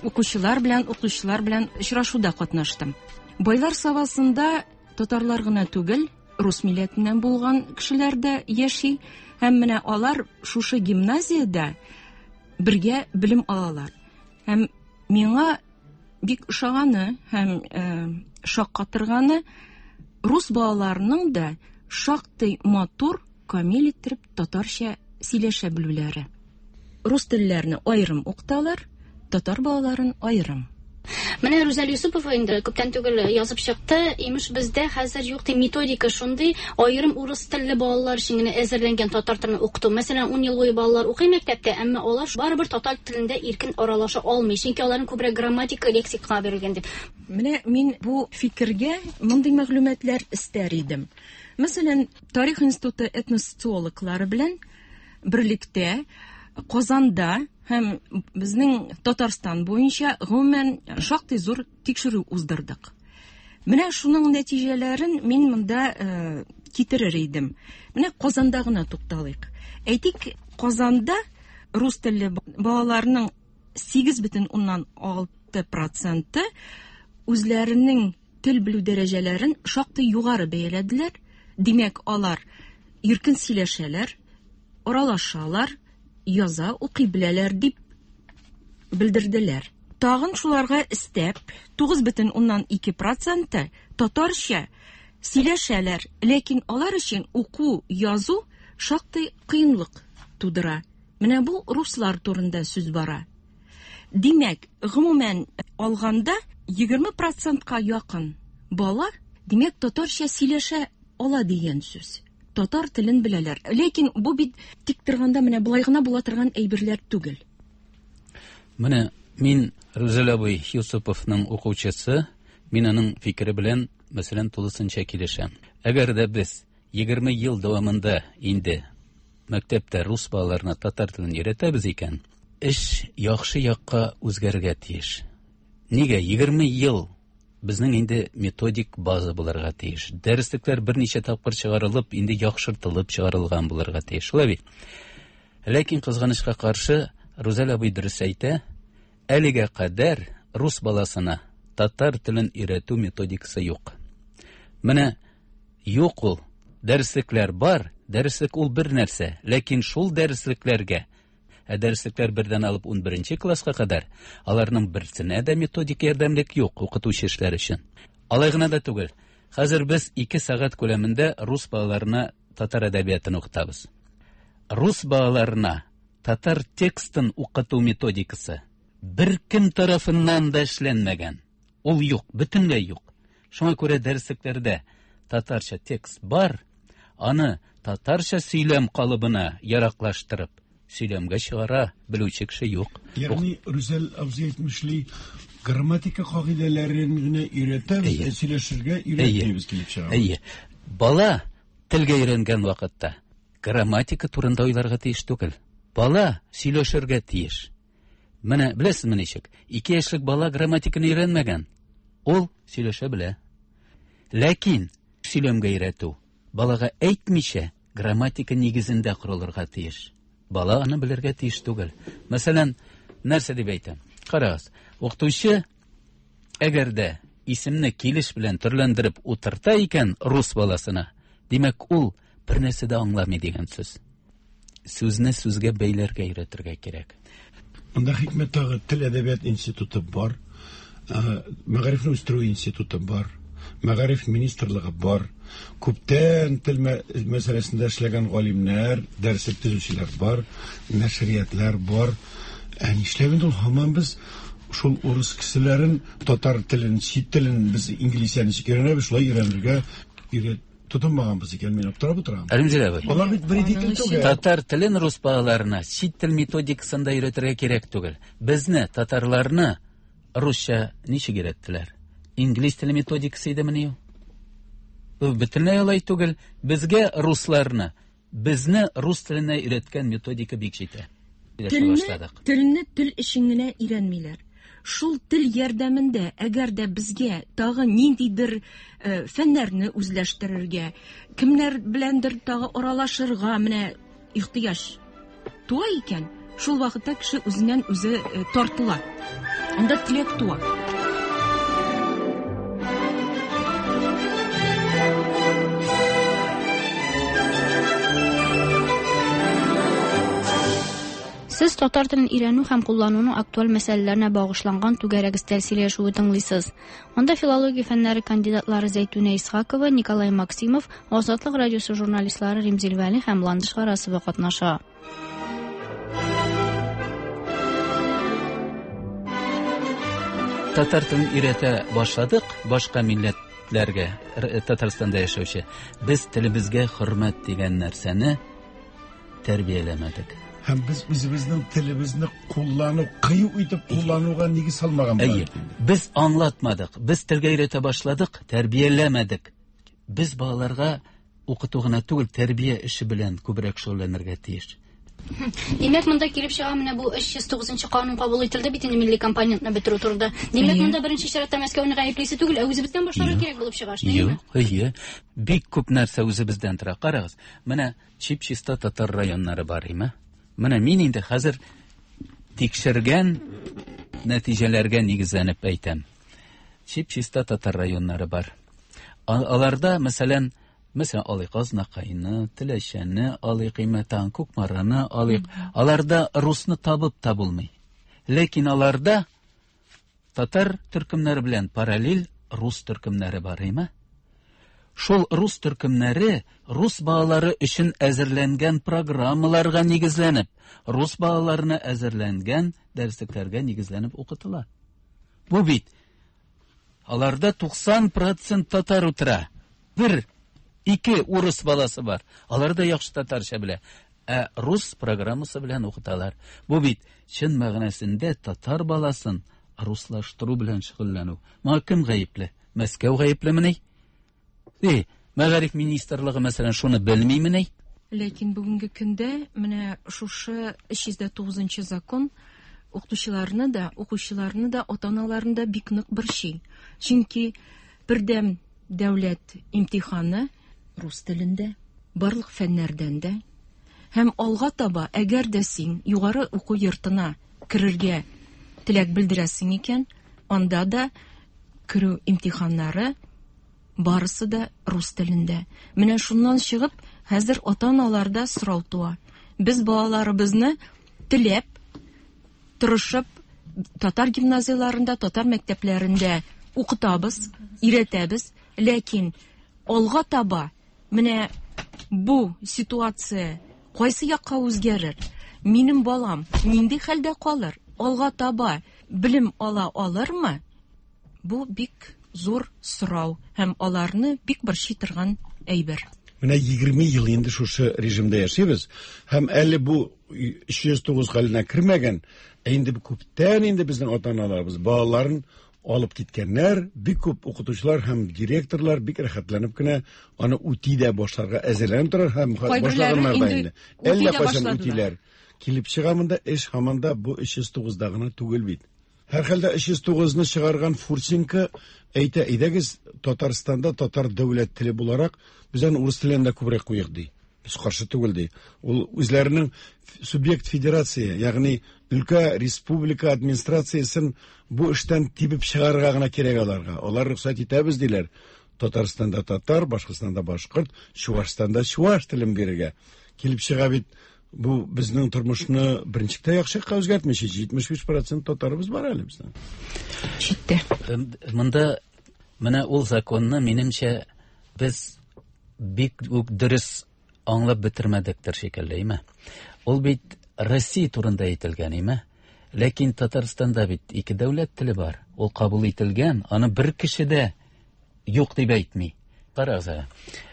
укучылар белән укытучылар белән очрашуда катнаштым. Байлар Сабасында татарлар гына түгел, рус милләтеннән булган кешеләр дә яши һәм менә алар шушы гимназиядә бергә белем алалар. Һәм миңа бик ошаганы һәм э, шаккатырганы рус балаларының да шактый матур, камил иттереп татарча сөйләшә белүләре. Рус телләрне аерым укыталар, татар балаларын аерым. Менә Рүзәл Юсупова инде күптән түгел язып чыкты. Имеш бездә хәзер юк ди методика шундый, аерым урыс телле балалар өчен генә әзерләнгән татар телен укыту. Мәсәлән, ун ел буе балалар укый мәктәптә, әмма алар барыбер татар телендә иркен аралаша алмый, чөнки аларның күбрәк грамматика, лексика бирелгән дип. Менә мин бу фикергә мондый мәгълүматлар истәр идем. Мәсәлән, Тарих институты этносоциологлары белән берлектә Казанда һәм безнең Татарстан буенча гомумән шактый зур тикшерү уздырдык. Менә шуның нәтиҗәләрен мин монда э, китерер идем. Менә Казанда гына тукталыйк. Әйтик, Казанда рус телле балаларның сигез бөтен уннан алты проценты үзләренең тел белү дәрәҗәләрен шактый югары бәяләделәр. Димәк, алар иркен сөйләшәләр, аралашалар, яза, укый беләләр дип белдерделәр. Тагын шуларга өстәп, тугыз бөтен уннан ике проценты татарча сөйләшәләр, ләкин алар өчен уку, язу шактый кыенлык тудыра. Менә бу руслар турында сүз бара. Димәк, гомумән алганда егерме процентка якын бала, димәк, татарча сөйләшә ала дигән сүз. Татар телен беләләр. Ләкин бу бит тик торганда менә болай гына була торган әйберләр түгел. Менә мин Рүзәл абый Юсуповның укучысы, мин аның фикере белән, мәсәлән, тулысынча килешәм. Әгәр дә без егерме ел дәвамында инде мәктәптә рус балаларына татар телен өйрәтәбез икән, эш яхшы якка үзгәрергә тиеш. Нигә егерме ел безнең инде методик база булырга тиеш. Дәреслекләр берничә тапкыр чыгарылып, инде яхшыртылып чыгарылган булырга тиеш. Шулай бит. Ләкин кызганычка каршы, Рүзәл абый дөрес әйтә, әлегә кадәр рус баласына Татар телен өйрәтү методикасы юк. Менә юк ул. Дәреслекләр бар, дәреслек ул бер нәрсә, ләкин шул дәреслекләргә, ә дәреслекләр бердән алып унберенче класска кадәр, аларның берсенә дә методик ярдәмлек юк укытучы эшләр өчен. Алай гына да түгел. Хәзер без ике сәгать күләмендә рус балаларына татар әдәбиятын укытабыз. Рус балаларына татар текстын укыту методикасы бер кем тарафыннан да эшләнмәгән. Ул юк, бөтенләй юк. Шуңа күрә дәреслекләрдә татарча текст бар, аны татарча сөйләм калыбына яраклаштырып, сөйләмгә чыгара белүче кеше юк. Ягъни Рүзәл абзый әйтмешли, грамматика кагыйдәләрен генә өйрәтәбез, сөйләшергә өйрәтмибез килеп чыга. Әйе. Бала телгә өйрәнгән вакытта грамматика турында уйларга тиеш түгел. Бала сөйләшергә тиеш. Менә беләсезме ничек? Ике яшьлек бала грамматиканы өйрәнмәгән. Ул сөйләшә белә. Ләкин сөйләмгә өйрәтү балага әйтмичә грамматика нигезендә корылырга тиеш. Бала аны белергә тиеш түгел. Мәсәлән, нәрсә дип әйтәм? Карагыз, укытучы әгәр дә исемне килеш белән төрләндереп утырта икән рус баласына, димәк, ул бер нәрсә дә аңламый дигән сүз. Сүзне сүзгә бәйләргә өйрәтергә кирәк. Монда хикмәт тагы тел әдәбият институты бар, мәгарифне үстерү институты бар, мәгариф министрлыгы бар. Күптән тел мәсьәләсендә эшләгән галимнәр, дәреслек төзүчеләр бар, нәшриятлар бар. Ә нишләп инде ул һаман без шул урыс кешеләрен татар телен, чит телен без инглизчә ничек өйрәнәбез, шулай өйрәнергә өйрәт тотынмаганбыз икән, мин аптырап утырам. Әлмзил абый. Алар бит бер тел түгел. Татар телен рус балаларына чит тел методикасында өйрәтергә кирәк түгел. Безне, татарларны русча ничек өйрәттеләр? Инглиз теле методикасы идемени ул? Бу бөтенләй алай түгел. Безгә русларны, безне рус теленә өйрәткән методика бик җитә. Телне, телне тел өчен генә өйрәнмиләр. Шул тел ярдәмендә, әгәр дә безгә тагы ниндидер э, фәннәрне үзләштерергә, кемнәр беләндер тагы аралашырга менә ихтыяҗ туа икән, шул вакытта кеше үзеннән үзе э, тартыла. Анда теләк туа. Сез татар телен өйрәнү һәм куллануның актуаль мәсьәләләренә багышланган түгәрәк өстәл сөйләшүе тыңлыйсыз. Анда филология фәннәре кандидатлары Зәйтүнә Исхакова, Николай Максимов, Азатлык радиосы журналистлары Римзил Вәли һәм Ландыш Гарасова катнаша. Татар телен өйрәтә башладык башка милләтләргә, Татарстанда яшәүче. Без телебезгә хөрмәт дигән нәрсәне тәрбияләмәдек. Һәм без үзебезнең телебезне куллану, кыю итеп куллануга нигез салмаган. Әйе, без аңлатмадык. Без телгә өйрәтә башладык, тәрбияләмәдек. Без балаларга укыту гына түгел, тәрбия эше белән күбрәк шөгыльләнергә тиеш. Димәк, монда килеп чыга менә бу өч йөз тугызынчы канун кабул ителде бит инде милли компонентны бетерү турында. Димәк, монда беренче чиратта Мәскәүне гаеплисе түгел, ә үзебездән башларга кирәк булып чыга, шулаймы? Юк, әйе. Бик күп нәрсә үзебездән тора. Карагыз, менә чип-чиста татар районнары бар, име? Менә мин инде хәзер тикшергән нәтиҗәләргә нигезләнеп әйтәм. Чип-чиста татар районнары бар. Аларда, мәсәлән, мәсәлән, алыйк Азнакайны, Теләчәне, алыйк Имәтан, Кукмараны, алыйк. Аларда русны табып та булмый. Ләкин аларда татар төркемнәре белән параллель рус төркемнәре бар, име? Шул рус төркемнәре рус балалары өчен әзерләнгән программаларга нигезләнеп, рус балаларына әзерләнгән дәреслекләргә нигезләнеп укытыла. Бу бит аларда туксан процент татар утыра. Бер, ике урыс баласы бар. Алар да яхшы татарча белә. Ә рус программасы белән укыталар. Бу бит чын мәгънәсендә татар баласын руслаштыру белән шөгыльләнү. Моңа кем гаепле? Мәскәү гаеплемени? Э, мәгариф министрлыгы мәсәлән шуны белмимени? Ләкин бүгенге көндә менә шушы өч йөз тугызынчы закон укытучыларны да, укучыларны да, ата-аналарны да бик нык борчый. Чөнки бердәм дәүләт имтиханы рус телендә, барлык фәннәрдән дә. Һәм алга таба, әгәр дә син югары уку йортына керергә теләк белдерәсең икән, анда да Керү имтиханнары барысы да рус телендә. Менә шуннан чыгып, хәзер ата-аналарда сорау туа. Без балаларыбызны теләп, тырышып, татар гимназияларында, татар мәктәпләрендә укытабыз, өйрәтәбез, ләкин алга таба менә бу ситуация кайсы якка үзгәрер? Минем балам нинди хәлдә калыр? Алга таба белем ала алырмы? Бу бик зур сорау һәм аларны бик борчый торган әйбер. Менә егерме ел инде шушы режимда яшибез һәм әле бу өч йөз тугыз хәленә кермәгән, ә инде күптән инде безнең ата-аналарыбыз балаларын алып киткәннәр, бик күп укытучылар һәм директорлар бик рәхәтләнеп кенә аны үти дә башларга әзерләнеп торар һәм башлаганнар да инде. Әллә кайчан үтиләр. Килеп чыга монда эш һаман да бу өч йөз тугызда гына түгел бит. Һәр хәлдә өч йөз тугызны чыгарган Фурсенко әйтә, әйдәгез Татарстанда татар дәүләт теле буларак без аны урыс теленә дә күбрәк куйык ди. Без каршы түгел ди. Ул үзләренең субъект федерация, ягъни өлкә республика администрациясен бу эштән тибеп чыгарырга гына кирәк аларга. Алар рөхсәт итәбез диләр. Татарстанда татар, Башкортстанда башкорт, Чувашстанда чуваш телен бирергә. Килеп чыга бит бу безнең тормышны беренче яхшы якка үзгәртмичә җитмеш биш процент татарыбыз бар әле безнең. Читтә. Монда менә ул законны минемчә без бик үк дөрес аңлап бетермәдектер шикелле, име? Ул бит Россия турында әйтелгән, име? Ләкин Татарстанда бит ике дәүләт теле бар. Ул кабул ителгән, аны бер кеше дә юк дип әйтми. Карагыз,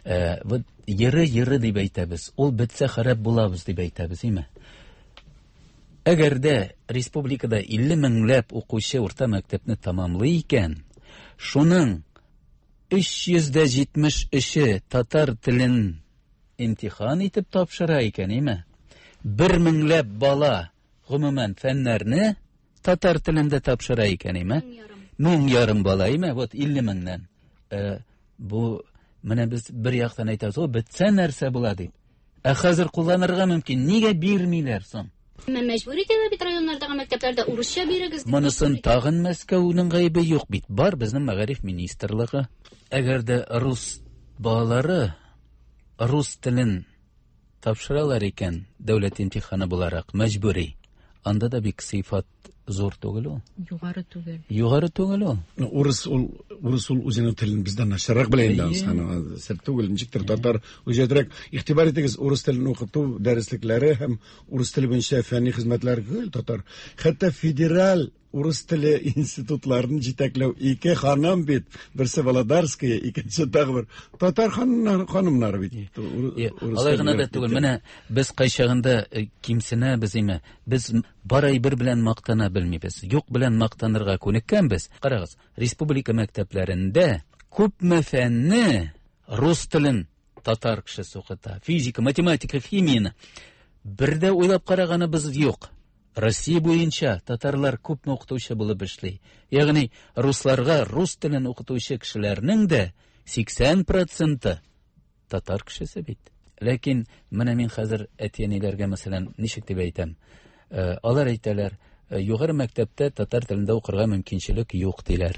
э, вот йыры-йыры дип әйтәбез. Ул бетсә харап булабыз дип әйтәбез, име? Әгәр дә республикада илле меңләп укучы урта мәктәпне тамамлый икән, шуның өч йөз дә җитмеш өче татар телен имтихан итеп тапшыра икән, име? Бер меңләп бала гомумән фәннәрне татар телендә тапшыра икән, име? Мең ярым бала, име? Вот илле меңнән. Э, бу менә без бер яктан әйтәбез, о, бетсә нәрсә була дип. Ә хәзер кулланырга мөмкин. Нигә бирмиләр соң? Әмма мәҗбүр итәләр бит районнардагы мәктәпләрдә урысча бирегез. Монысын тагын Мәскәүнең гаебе юк бит. Бар безнең мәгариф министрлыгы. Әгәр дә рус балалары рус телен тапшыралар икән, дәүләт имтиханы буларак мәҗбүри. Анда да бик сыйфат зур түгел ул. Югары түгел. Югары түгел ул. Урыс ул, урыс ул үзенең телен бездән начаррак белә инде, аны сер түгел, ничектер татар үҗәтрәк. Игътибар итегез, урыс телен укыту дәреслекләре һәм урыс теле буенча фәнни хезмәтләр гел татар. Хәтта федераль урыс теле институтларын җитәкләү ике ханым бит, берсе Володарская, икенче тагы бер татар ханымнары, ханымнары бит. Алай гына да түгел. Менә без кайчагында кимсенәбез, име? Без бар әйбер белән мактана белмибез. Юк белән мактанырга күнеккәнбез. Карагыз, республика мәктәпләрендә күпме фәнне рус телен татар кешесе укыта. Физика, математика, химияне. Бер дә уйлап караганыбыз юк. Россия буенча татарлар күпме укытучы булып эшли. Ягъни русларга рус телен укытучы кешеләрнең дә сиксән проценты татар кешесе бит. Ләкин менә мин хәзер әти-әниләргә мәсәлән ничек дип әйтәм? Алар әйтәләр, югары мәктәптә татар телендә укырга мөмкинчелек юк диләр.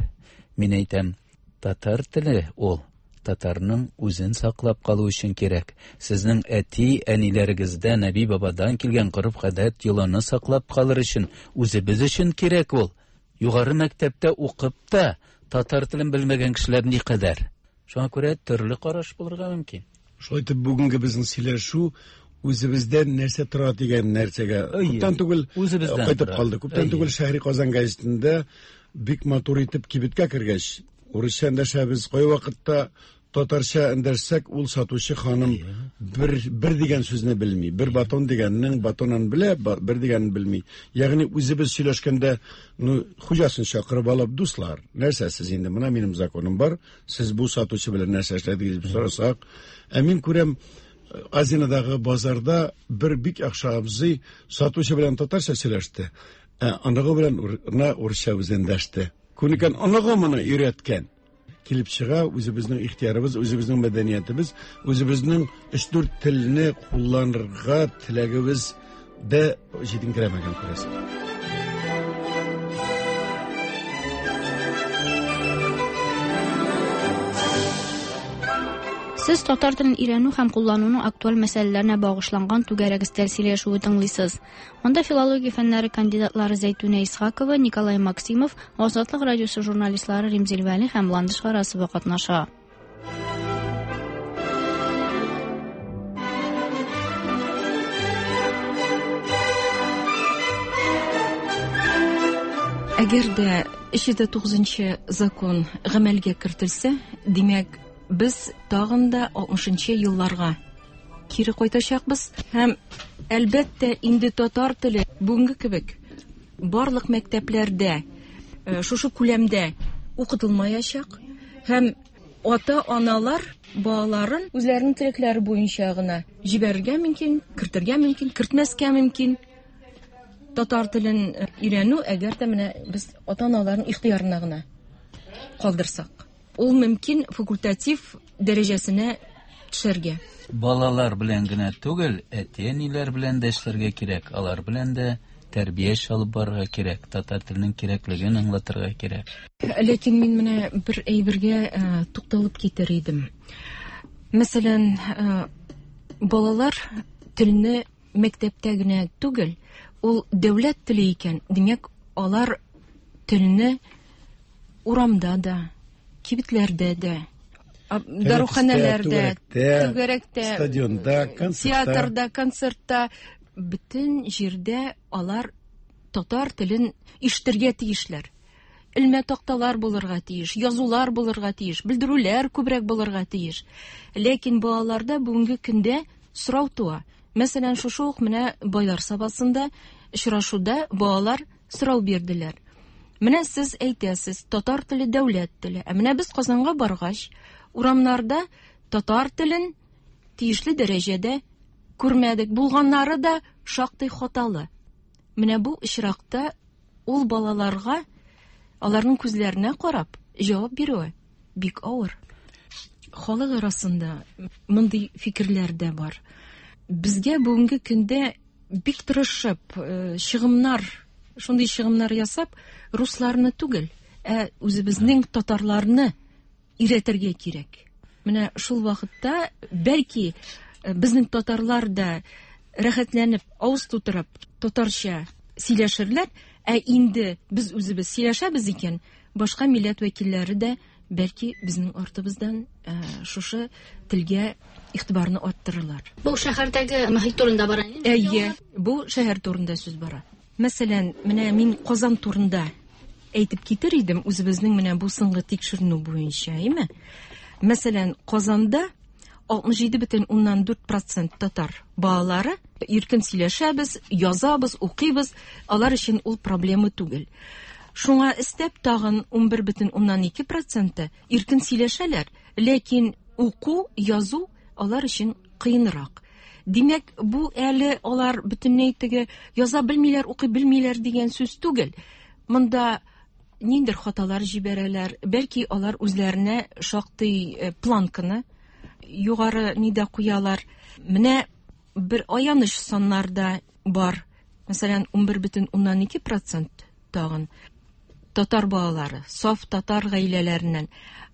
Мин әйтәм, татар теле ул татарның үзен саклап калу өчен кирәк. Сезнең әти-әниләрегездән, әби-бабадан килгән гореф-гадәт йоланы саклап калыр өчен, үзебез өчен кирәк ул. Югары мәктәптә укып та татар телен белмәгән кешеләр никадәр. Шуңа күрә төрле караш булырга мөмкин. Шулай итеп бүгенге безнең сөйләшү үзебездән нәрсә тора дигән нәрсәгә күптән түгел кайтып калды. Күптән түгел Шәһри Казан гәзитендә бик матур итеп кибеткә кергәч, урысча эндәшәбез, кай вакытта татарча эндәшсәк, ул сатучы ханым бер бер дигән сүзне белми, бер батон дигәннең батонын белә, бер дигәнен белми. Ягъни үзебез сөйләшкәндә, ну, хуҗасын чакырып алып, дуслар, нәрсә сез инде, менә минем законым бар, сез бу сатучы белән нәрсә эшләдегез дип сорасак, ә мин күрәм, Азинадагы базарда бер бик яхшы абзый сатучы белән татарча сөйләште, ә оныгы белән урысча үзе эндәште. Күнеккән оныгы моны өйрәткән. Килеп чыга, үзебезнең ихтиярыбыз, үзебезнең мәдәниятебез, үзебезнең өч-дүрт телне кулланырга теләгебез дә җитенкерәмәгән күрәсең. Сез татар телен өйрәнү һәм куллануның актуаль мәсьәләләренә багышланган түгәрәк өстәл сөйләшүе тыңлыйсыз. Анда филология фәннәре кандидатлары Зәйтүнә Исхакова, Николай Максимов, Азатлык радиосы журналистлары Римзил Вәли һәм Ландыш Гарасова катнаша. Әгәр дә өч йөз тугызынчы закон гамәлгә кертелсә, димәк, без тагын да алтмышынчы елларга кире кайтачакбыз. Һәм әлбәттә инде татар теле бүгенге кебек барлык мәктәпләрдә шушы күләмдә укытылмаячак. Һәм ата-аналар балаларын үзләренең теләкләре буенча гына җибәрергә мөмкин, кертергә мөмкин, кертмәскә мөмкин. Татар телен өйрәнү, әгәр дә менә без ата-аналарның ихтыярына гына калдырсак, ул мөмкин факультатив дәрәҗәсенә төшәргә. Балалар белән генә түгел, әти-әниләр белән дә эшләргә кирәк, алар белән дә тәрбия эше алып барырга кирәк, татар теленең кирәклеген аңлатырга кирәк. Ләкин мин менә бер әйбергә тукталып китер идем. Мәсәлән, балалар телне мәктәптә генә түгел, ул дәүләт теле икән, димәк, алар телне урамда да, кибетләрдә дә, даруханәләрдә, түгәрәктә, стадионда, концертта, театрда, концертта, бөтен җирдә алар татар телен ишетергә тиешләр. Элмә такталар булырга тиеш, язулар булырга тиеш, белдерүләр күбрәк булырга тиеш. Ләкин балаларда бүгенге көндә сорау туа. Мәсәлән, шушы ук менә Байлар Сабасында очрашуда балалар сорау бирделәр. Менә сез әйтәсез, татар теле дәүләт теле. Ә менә без Казанга баргач, урамнарда татар телен тиешле дәрәҗәдә күрмәдек. Булганнары да шактый хаталы. Менә бу очракта ул балаларга, аларның күзләренә карап җавап бирүе бик авыр. Халык арасында мондый фикерләр дә бар. Безгә бүгенге көндә бик тырышып, чыгымнар, шундый чыгымнар ясап, русларны түгел, ә үзебезнең татарларны өйрәтергә кирәк. Менә шул вакытта бәлки безнең татарлар да рәхәтләнеп, авыз тутырып татарча сөйләшерләр, ә инде без үзебез сөйләшәбез икән, башка милләт вәкилләре дә бәлки безнең артыбыздан шушы телгә игътибарны арттырырлар. Бу шәһәрдәге мөхит турында бара. Әйе, бу шәһәр турында сүз бара. Мәсәлән, менә мин Казан турында әйтеп китер идем, үзебезнең менә бу соңгы тикшеренү буенча, әйме? Мәсәлән, Казанда алтмыш җиде бөтен уннан дүрт процент татар балалары иркен сөйләшәбез, язабыз, укыйбыз, алар өчен ул проблема түгел. Шуңа өстәп тагын унбер бөтен уннан ике проценты иркен сөйләшәләр, ләкин уку, язу алар өчен кыенрак. Димәк, бу әле алар бөтенләй теге яза белмиләр, укый белмиләр дигән сүз түгел. Монда ниндер хаталар җибәрәләр, бәлки алар үзләренә шактый планканы югары нидә куялар. Менә бер аяныч саннар да бар. Мәсәлән, унбер бөтен уннан ике процент тагын татар балалары, саф татар гаиләләреннән,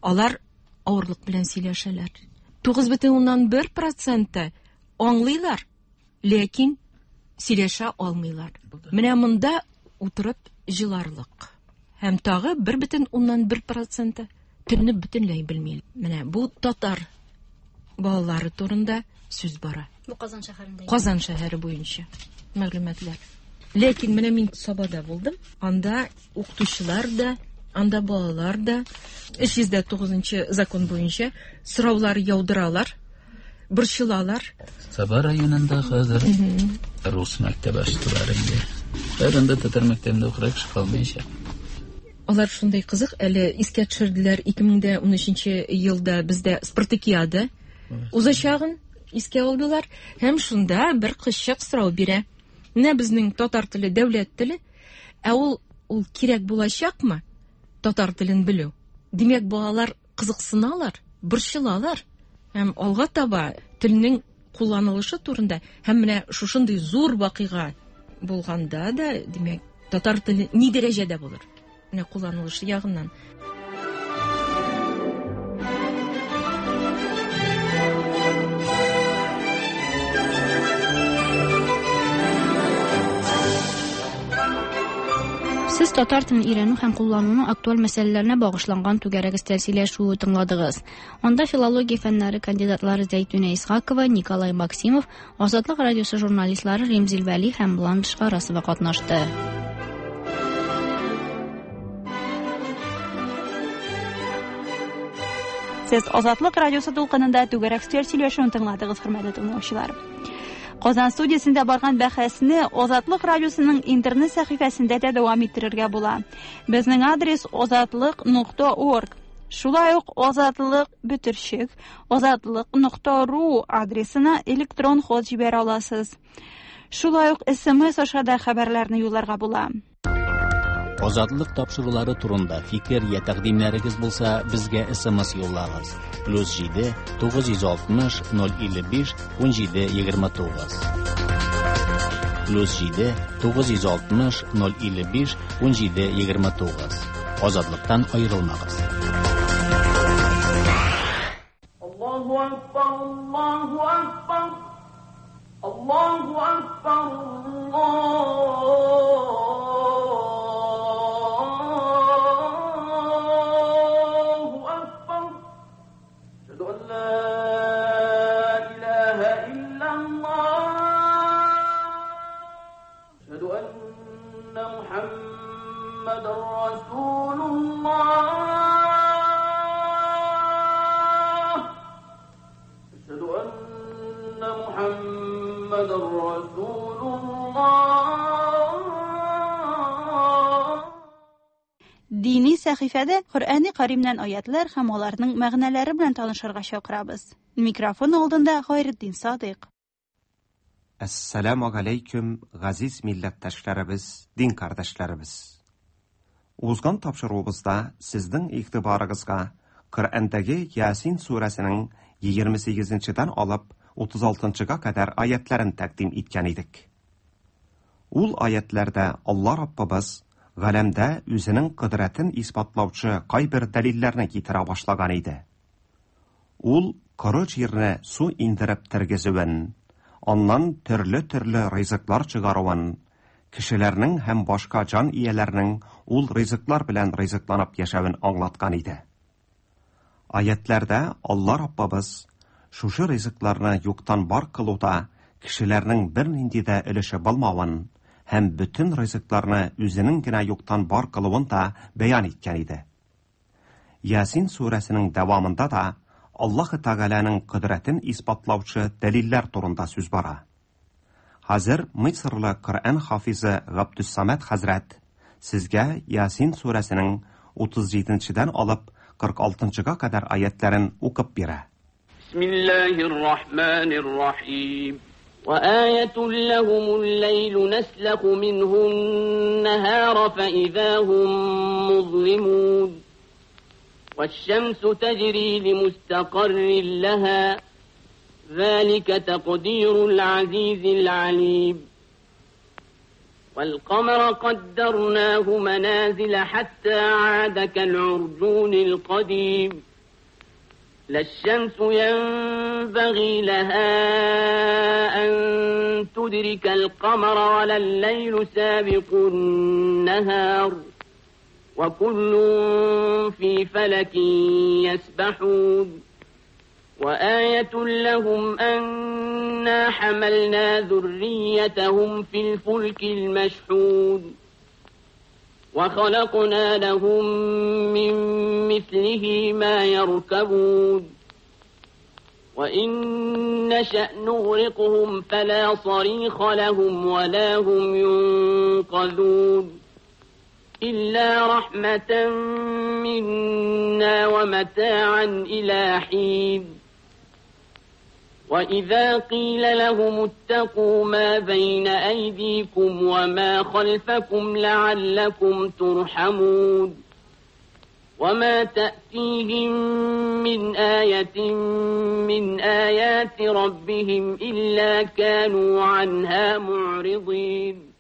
алар авырлык белән сөйләшәләр. Тугыз бөтен уннан бер проценты аңлыйлар, ләкин сөйләшә алмыйлар. Менә монда утырып җыларлык. Һәм тагы бер бөтен уннан бер проценты телне бөтенләй белми. Менә бу татар балалары турында сүз бара. Бу Казан шәһәрендә. Казан шәһәре буенча мәгълүматлар. Ләкин менә мин Сабада булдым. Анда укытучылар да, анда балалар да өч йөз тугызынчы закон буенча сораулар яудыралар, борчылалар. Саба районында хәзер рус мәктәбе ачтылар инде. Хәзер анда татар мәктәбендә укырга кеше калмаячак. Алар шундай кызык, әле искә төшерделәр, ике мең дә унөченче елда бездә спартакиада узачагын искә алдылар һәм шунда бер кызчык сорау бирә. Менә безнең татар теле дәүләт теле, ә ул ул кирәк булачакмы татар телен белү? Димәк, балалар кызыксыналар, борчылалар. Һәм алга таба телнең кулланылышы турында һәм менә шушындый зур вакыйга булганда да, димәк, татар теле ни дәрәҗәдә булыр? Менә кулланылышы ягыннан. Сез татар телен өйрәнү һәм куллануның актуаль мәсьәләләренә багышланган түгәрәк өстәл сөйләшүе тыңладыгыз. Анда филология фәннәре кандидатлары Зәйтүнә Исхакова, Николай Максимов, Азатлык радиосы журналистлары Римзил Вәли һәм Ландыш Гарасова катнашты. Сез Азатлык радиосы дулкынында түгәрәк өстәл сөйләшүен тыңладыгыз, хөрмәтле тыңлаучылар. Казан студиясендә барган бәхәсне Азатлык радиосының интернет сәхифәсендә дә дәвам иттерергә була. Безнең адрес азатлык нокта орг. Шулай ук азатлык бөтерчек азатлык нокта ру адресына электрон хат җибәрә аласыз. Шулай ук эс эм эс аша да хәбәрләрне юлларга була. Азатлык тапшырулары турында фикер я тәкъдимнәрегез булса, безгә эс эм эс юллагыз. Плюс җиде тугыз йөз алтмыш ноль илле биш ун җиде егерме тугыз. Плюс җиде тугыз йөз алтмыш ноль илле биш ун җиде егерме тугыз. Азатлыктан аерылмагыз. Аллаһу акбар, Аллаһу акбар, Аллаһу акбар, Аллаһу акбар. Әшһәду ан ла илаһа иллаллаһ. Әшһәду анна Мухаммадан расулуллаһ. Әшһәду анна Мухаммадан расулуллаһ. Дини сәхифәдә Коръәни Кәримнән аятлар һәм аларның мәгънәләре белән танышырга чакырабыз. Микрофон алдында Хайретдин Садыйк. Әссәламу алейкум, газиз милләттәшләребез, дин кардәшләребез. Узган тапшыруыбызда сезнең игътибарыгызга Коръәндәге Ясин сүрәсенең егерме сигезенчедән алып утыз алтынчыга кадәр аятларын тәкъдим иткән идек. Ул аятларда Алла Раббыбыз галәмдә үзенең кодрәтен исбатлаучы кайбер дәлилләрне китерә башлаган иде. Ул коры җирне су индереп тергезүен, аннан төрле-төрле ризыклар чыгаруын, кешеләрнең һәм башка җан ияләренең ул ризыклар белән ризыкланып яшәвен аңлаткан иде. Аятларда Алла Раббыбыз шушы ризыкларны юктан бар кылуда кешеләрнең бернинди дә өлеше булмавын һәм бөтен ризыкларны үзенең генә юктан бар кылуын да бәян иткән иде. Ясин сүрәсенең дәвамында да Аллаһ Тәгаләнең кодрәтен исбатлаучы дәлилләр турында сүз бара. Хәзер Мисырлы Коръән хафизы Габдусsamad хәзрәт сезгә Ясин сүрәсенең утыз җиденчедән алып кырык алтынчыга кадәр аятларын укып бирә. Бисмиллаһир-рахманир-рахим. وآية لهم الليل نسلخ منه النهار فإذا هم مظلمون والشمس تجري لمستقر لها ذلك تقدير العزيز العليم والقمر قدرناه منازل حتى عاد كالعرجون القديم لا الشمس ينبغي لها أن تدرك القمر ولا الليل سابق النهار وكل في فلك يسبحون وآية لهم أنا حملنا ذريتهم في الفلك المشحون وخلقنا لهم من مثله ما يركبون وإن نشأ نغرقهم فلا صريخ لهم ولا هم ينقذون إلا رحمة منا ومتاعا إلى حين وإذا قيل لهم اتقوا ما بين أيديكم وما خلفكم لعلكم ترحمون وما تأتيهم من آية من آيات ربهم إلا كانوا عنها معرضين.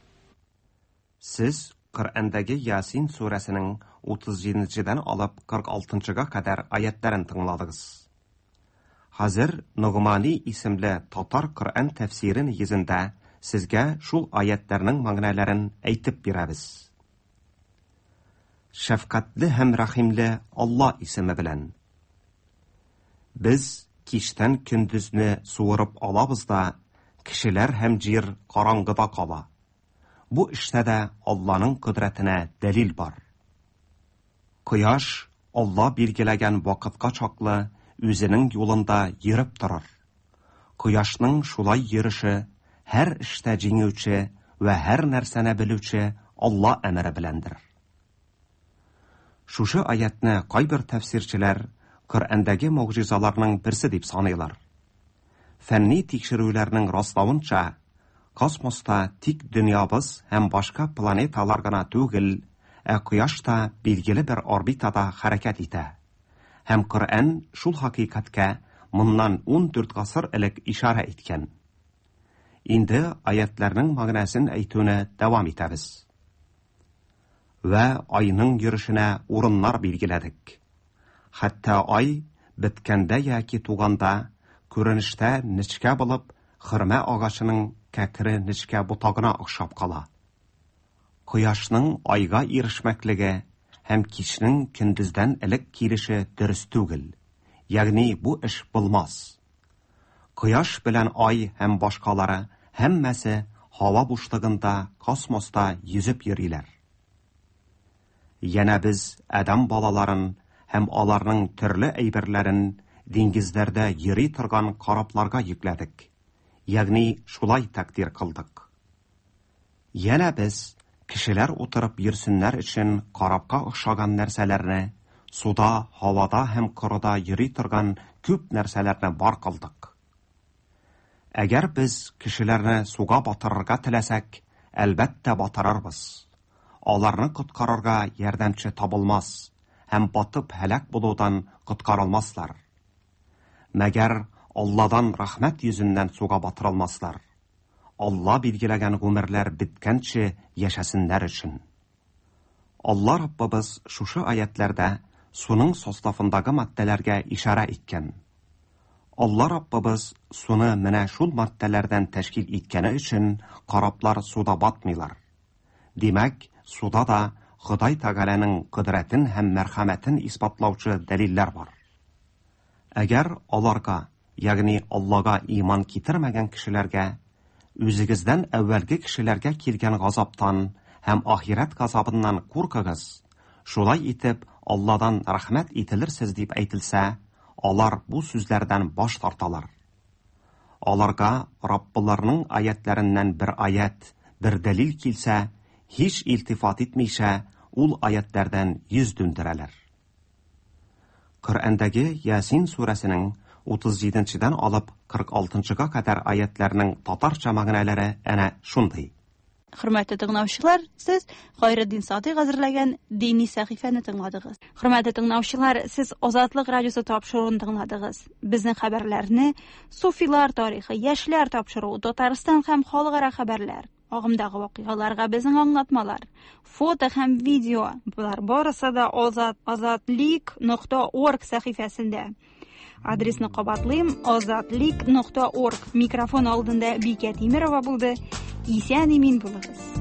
Siz Коръәндәге Ясин сүрәсенең утыз җиденчедән алып кырык алтынчыга кадәр аятларын тыңладыгыз. Хәзер Ногмани исемле татар Коръән тәфсире нигезендә сезгә шул аятларның мәгънәләрен әйтеп бирәбез. Шәфкатьле һәм рәхимле Алла исеме белән. Без кичтән көндезне суырып алабыз да, кешеләр һәм җир караңгыда кала. Бу эштә дә Алланың кодрәтенә дәлил бар. Кояш Алла билгеләгән вакытка чаклы үзенең юлында йөреп торыр. Кояшның шулай йөреше һәр эштә җиңүче вә һәр нәрсәне белүче Алла әмере беләндер. Шушы аятны кайбер тәфсирчеләр Коръәндәге могҗизаларның берсе дип саныйлар. Фәнни тикшерүләрнең раславынча, космоста тик дөньябыз һәм башка планеталар гына түгел, ә Кояш та билгеле бер орбитада хәрәкәт итә. Һәм Коръән шул хакыйкатькә моннан ун дүрт гасыр элек ишарә иткән. Инде аятларның мәгънәсен әйтүне дәвам итәбез. Вә айның йөрешенә урыннар билгеләдек. Хәтта ай беткәндә яки туганда күренештә нечкә булып, хөрмә агачының кәкре нечкә ботагына охшап кала. Кояшның айга ирешмәклеге һәм кичнең көндездән элек килеше дөрес түгел. Ягъни бу эш булмас. Кояш белән ай һәм башкалары һәммәсе һава бушлыгында, космоста йөзеп йөриләр. Янә без адәм балаларын һәм аларның төрле әйберләрен диңгезләрдә йөри торган корабларга йөкләдек. Ягъни шулай тәкъдир кылдык. Янә без кешеләр утырып йөрсеннәр өчен корабка охшаган нәрсәләрне, суда, һавада һәм корыда йөри торган күп нәрсәләрне бар кылдык. Әгәр без кешеләрне суга батырырга теләсәк, әлбәттә батырырбыз. Аларны коткарырга ярдәмче табылмас һәм батып һәлак булудан коткарылмаслар. Мәгәр Алладан рәхмәт йөзеннән суга батырылмаслар. Алла билгеләгән гомерләр беткәнче яшәсеннәр өчен. Алла Раббыбыз шушы аятларда суның составындагы матдәләргә ишарә иткән. Алла Раббыбыз суны менә шул матдәләрдән тәшкил иткәне өчен кораблар суда батмыйлар. Димәк, суда да Ходай Тәгаләнең кодрәтен һәм мәрхәмәтен исбатлаучы дәлилләр бар. Әгәр аларга, ягъни Аллага иман китермәгән кешеләргә, үзегездән әүвәлге кешеләргә килгән газаптан һәм ахирәт газабыннан куркыгыз, шулай итеп Алладан рәхмәт ителерсез дип әйтелсә, алар бу сүзләрдән баш тарталар. Аларга Раббыларының аятларыннан бер аят, бер дәлил килсә, һич илтифат итмичә, ул аятлардан йөз дүндерәләр. Коръәндәге Ясин сүрәсенең утыз җиденчедән алып кырык алтынчыга кадәр аятларның татарча мәгънәләре әнә шундый. Хөрмәтле тыңлаучылар, сез Хайретдин Садыйк әзерләгән дини сәхифәне тыңладыгыз. Хөрмәтле тыңлаучылар, сез Азатлык радиосы тапшыруын тыңладыгыз. Безнең хәбәрләрне Суфилар тарихы, яшьләр тапшыруы, Татарстан һәм халыкара хәбәрләр, агымдагы вакыйгаларга безнең аңлатмалар, фото һәм видео, болар барысы да Азат азатлик нокта орг сәхифәсендә. Адресны кабатлыйм: азатлик нокта орг. Микрофон алдында Бикә Тимерова булды. Исән имин булыгыз.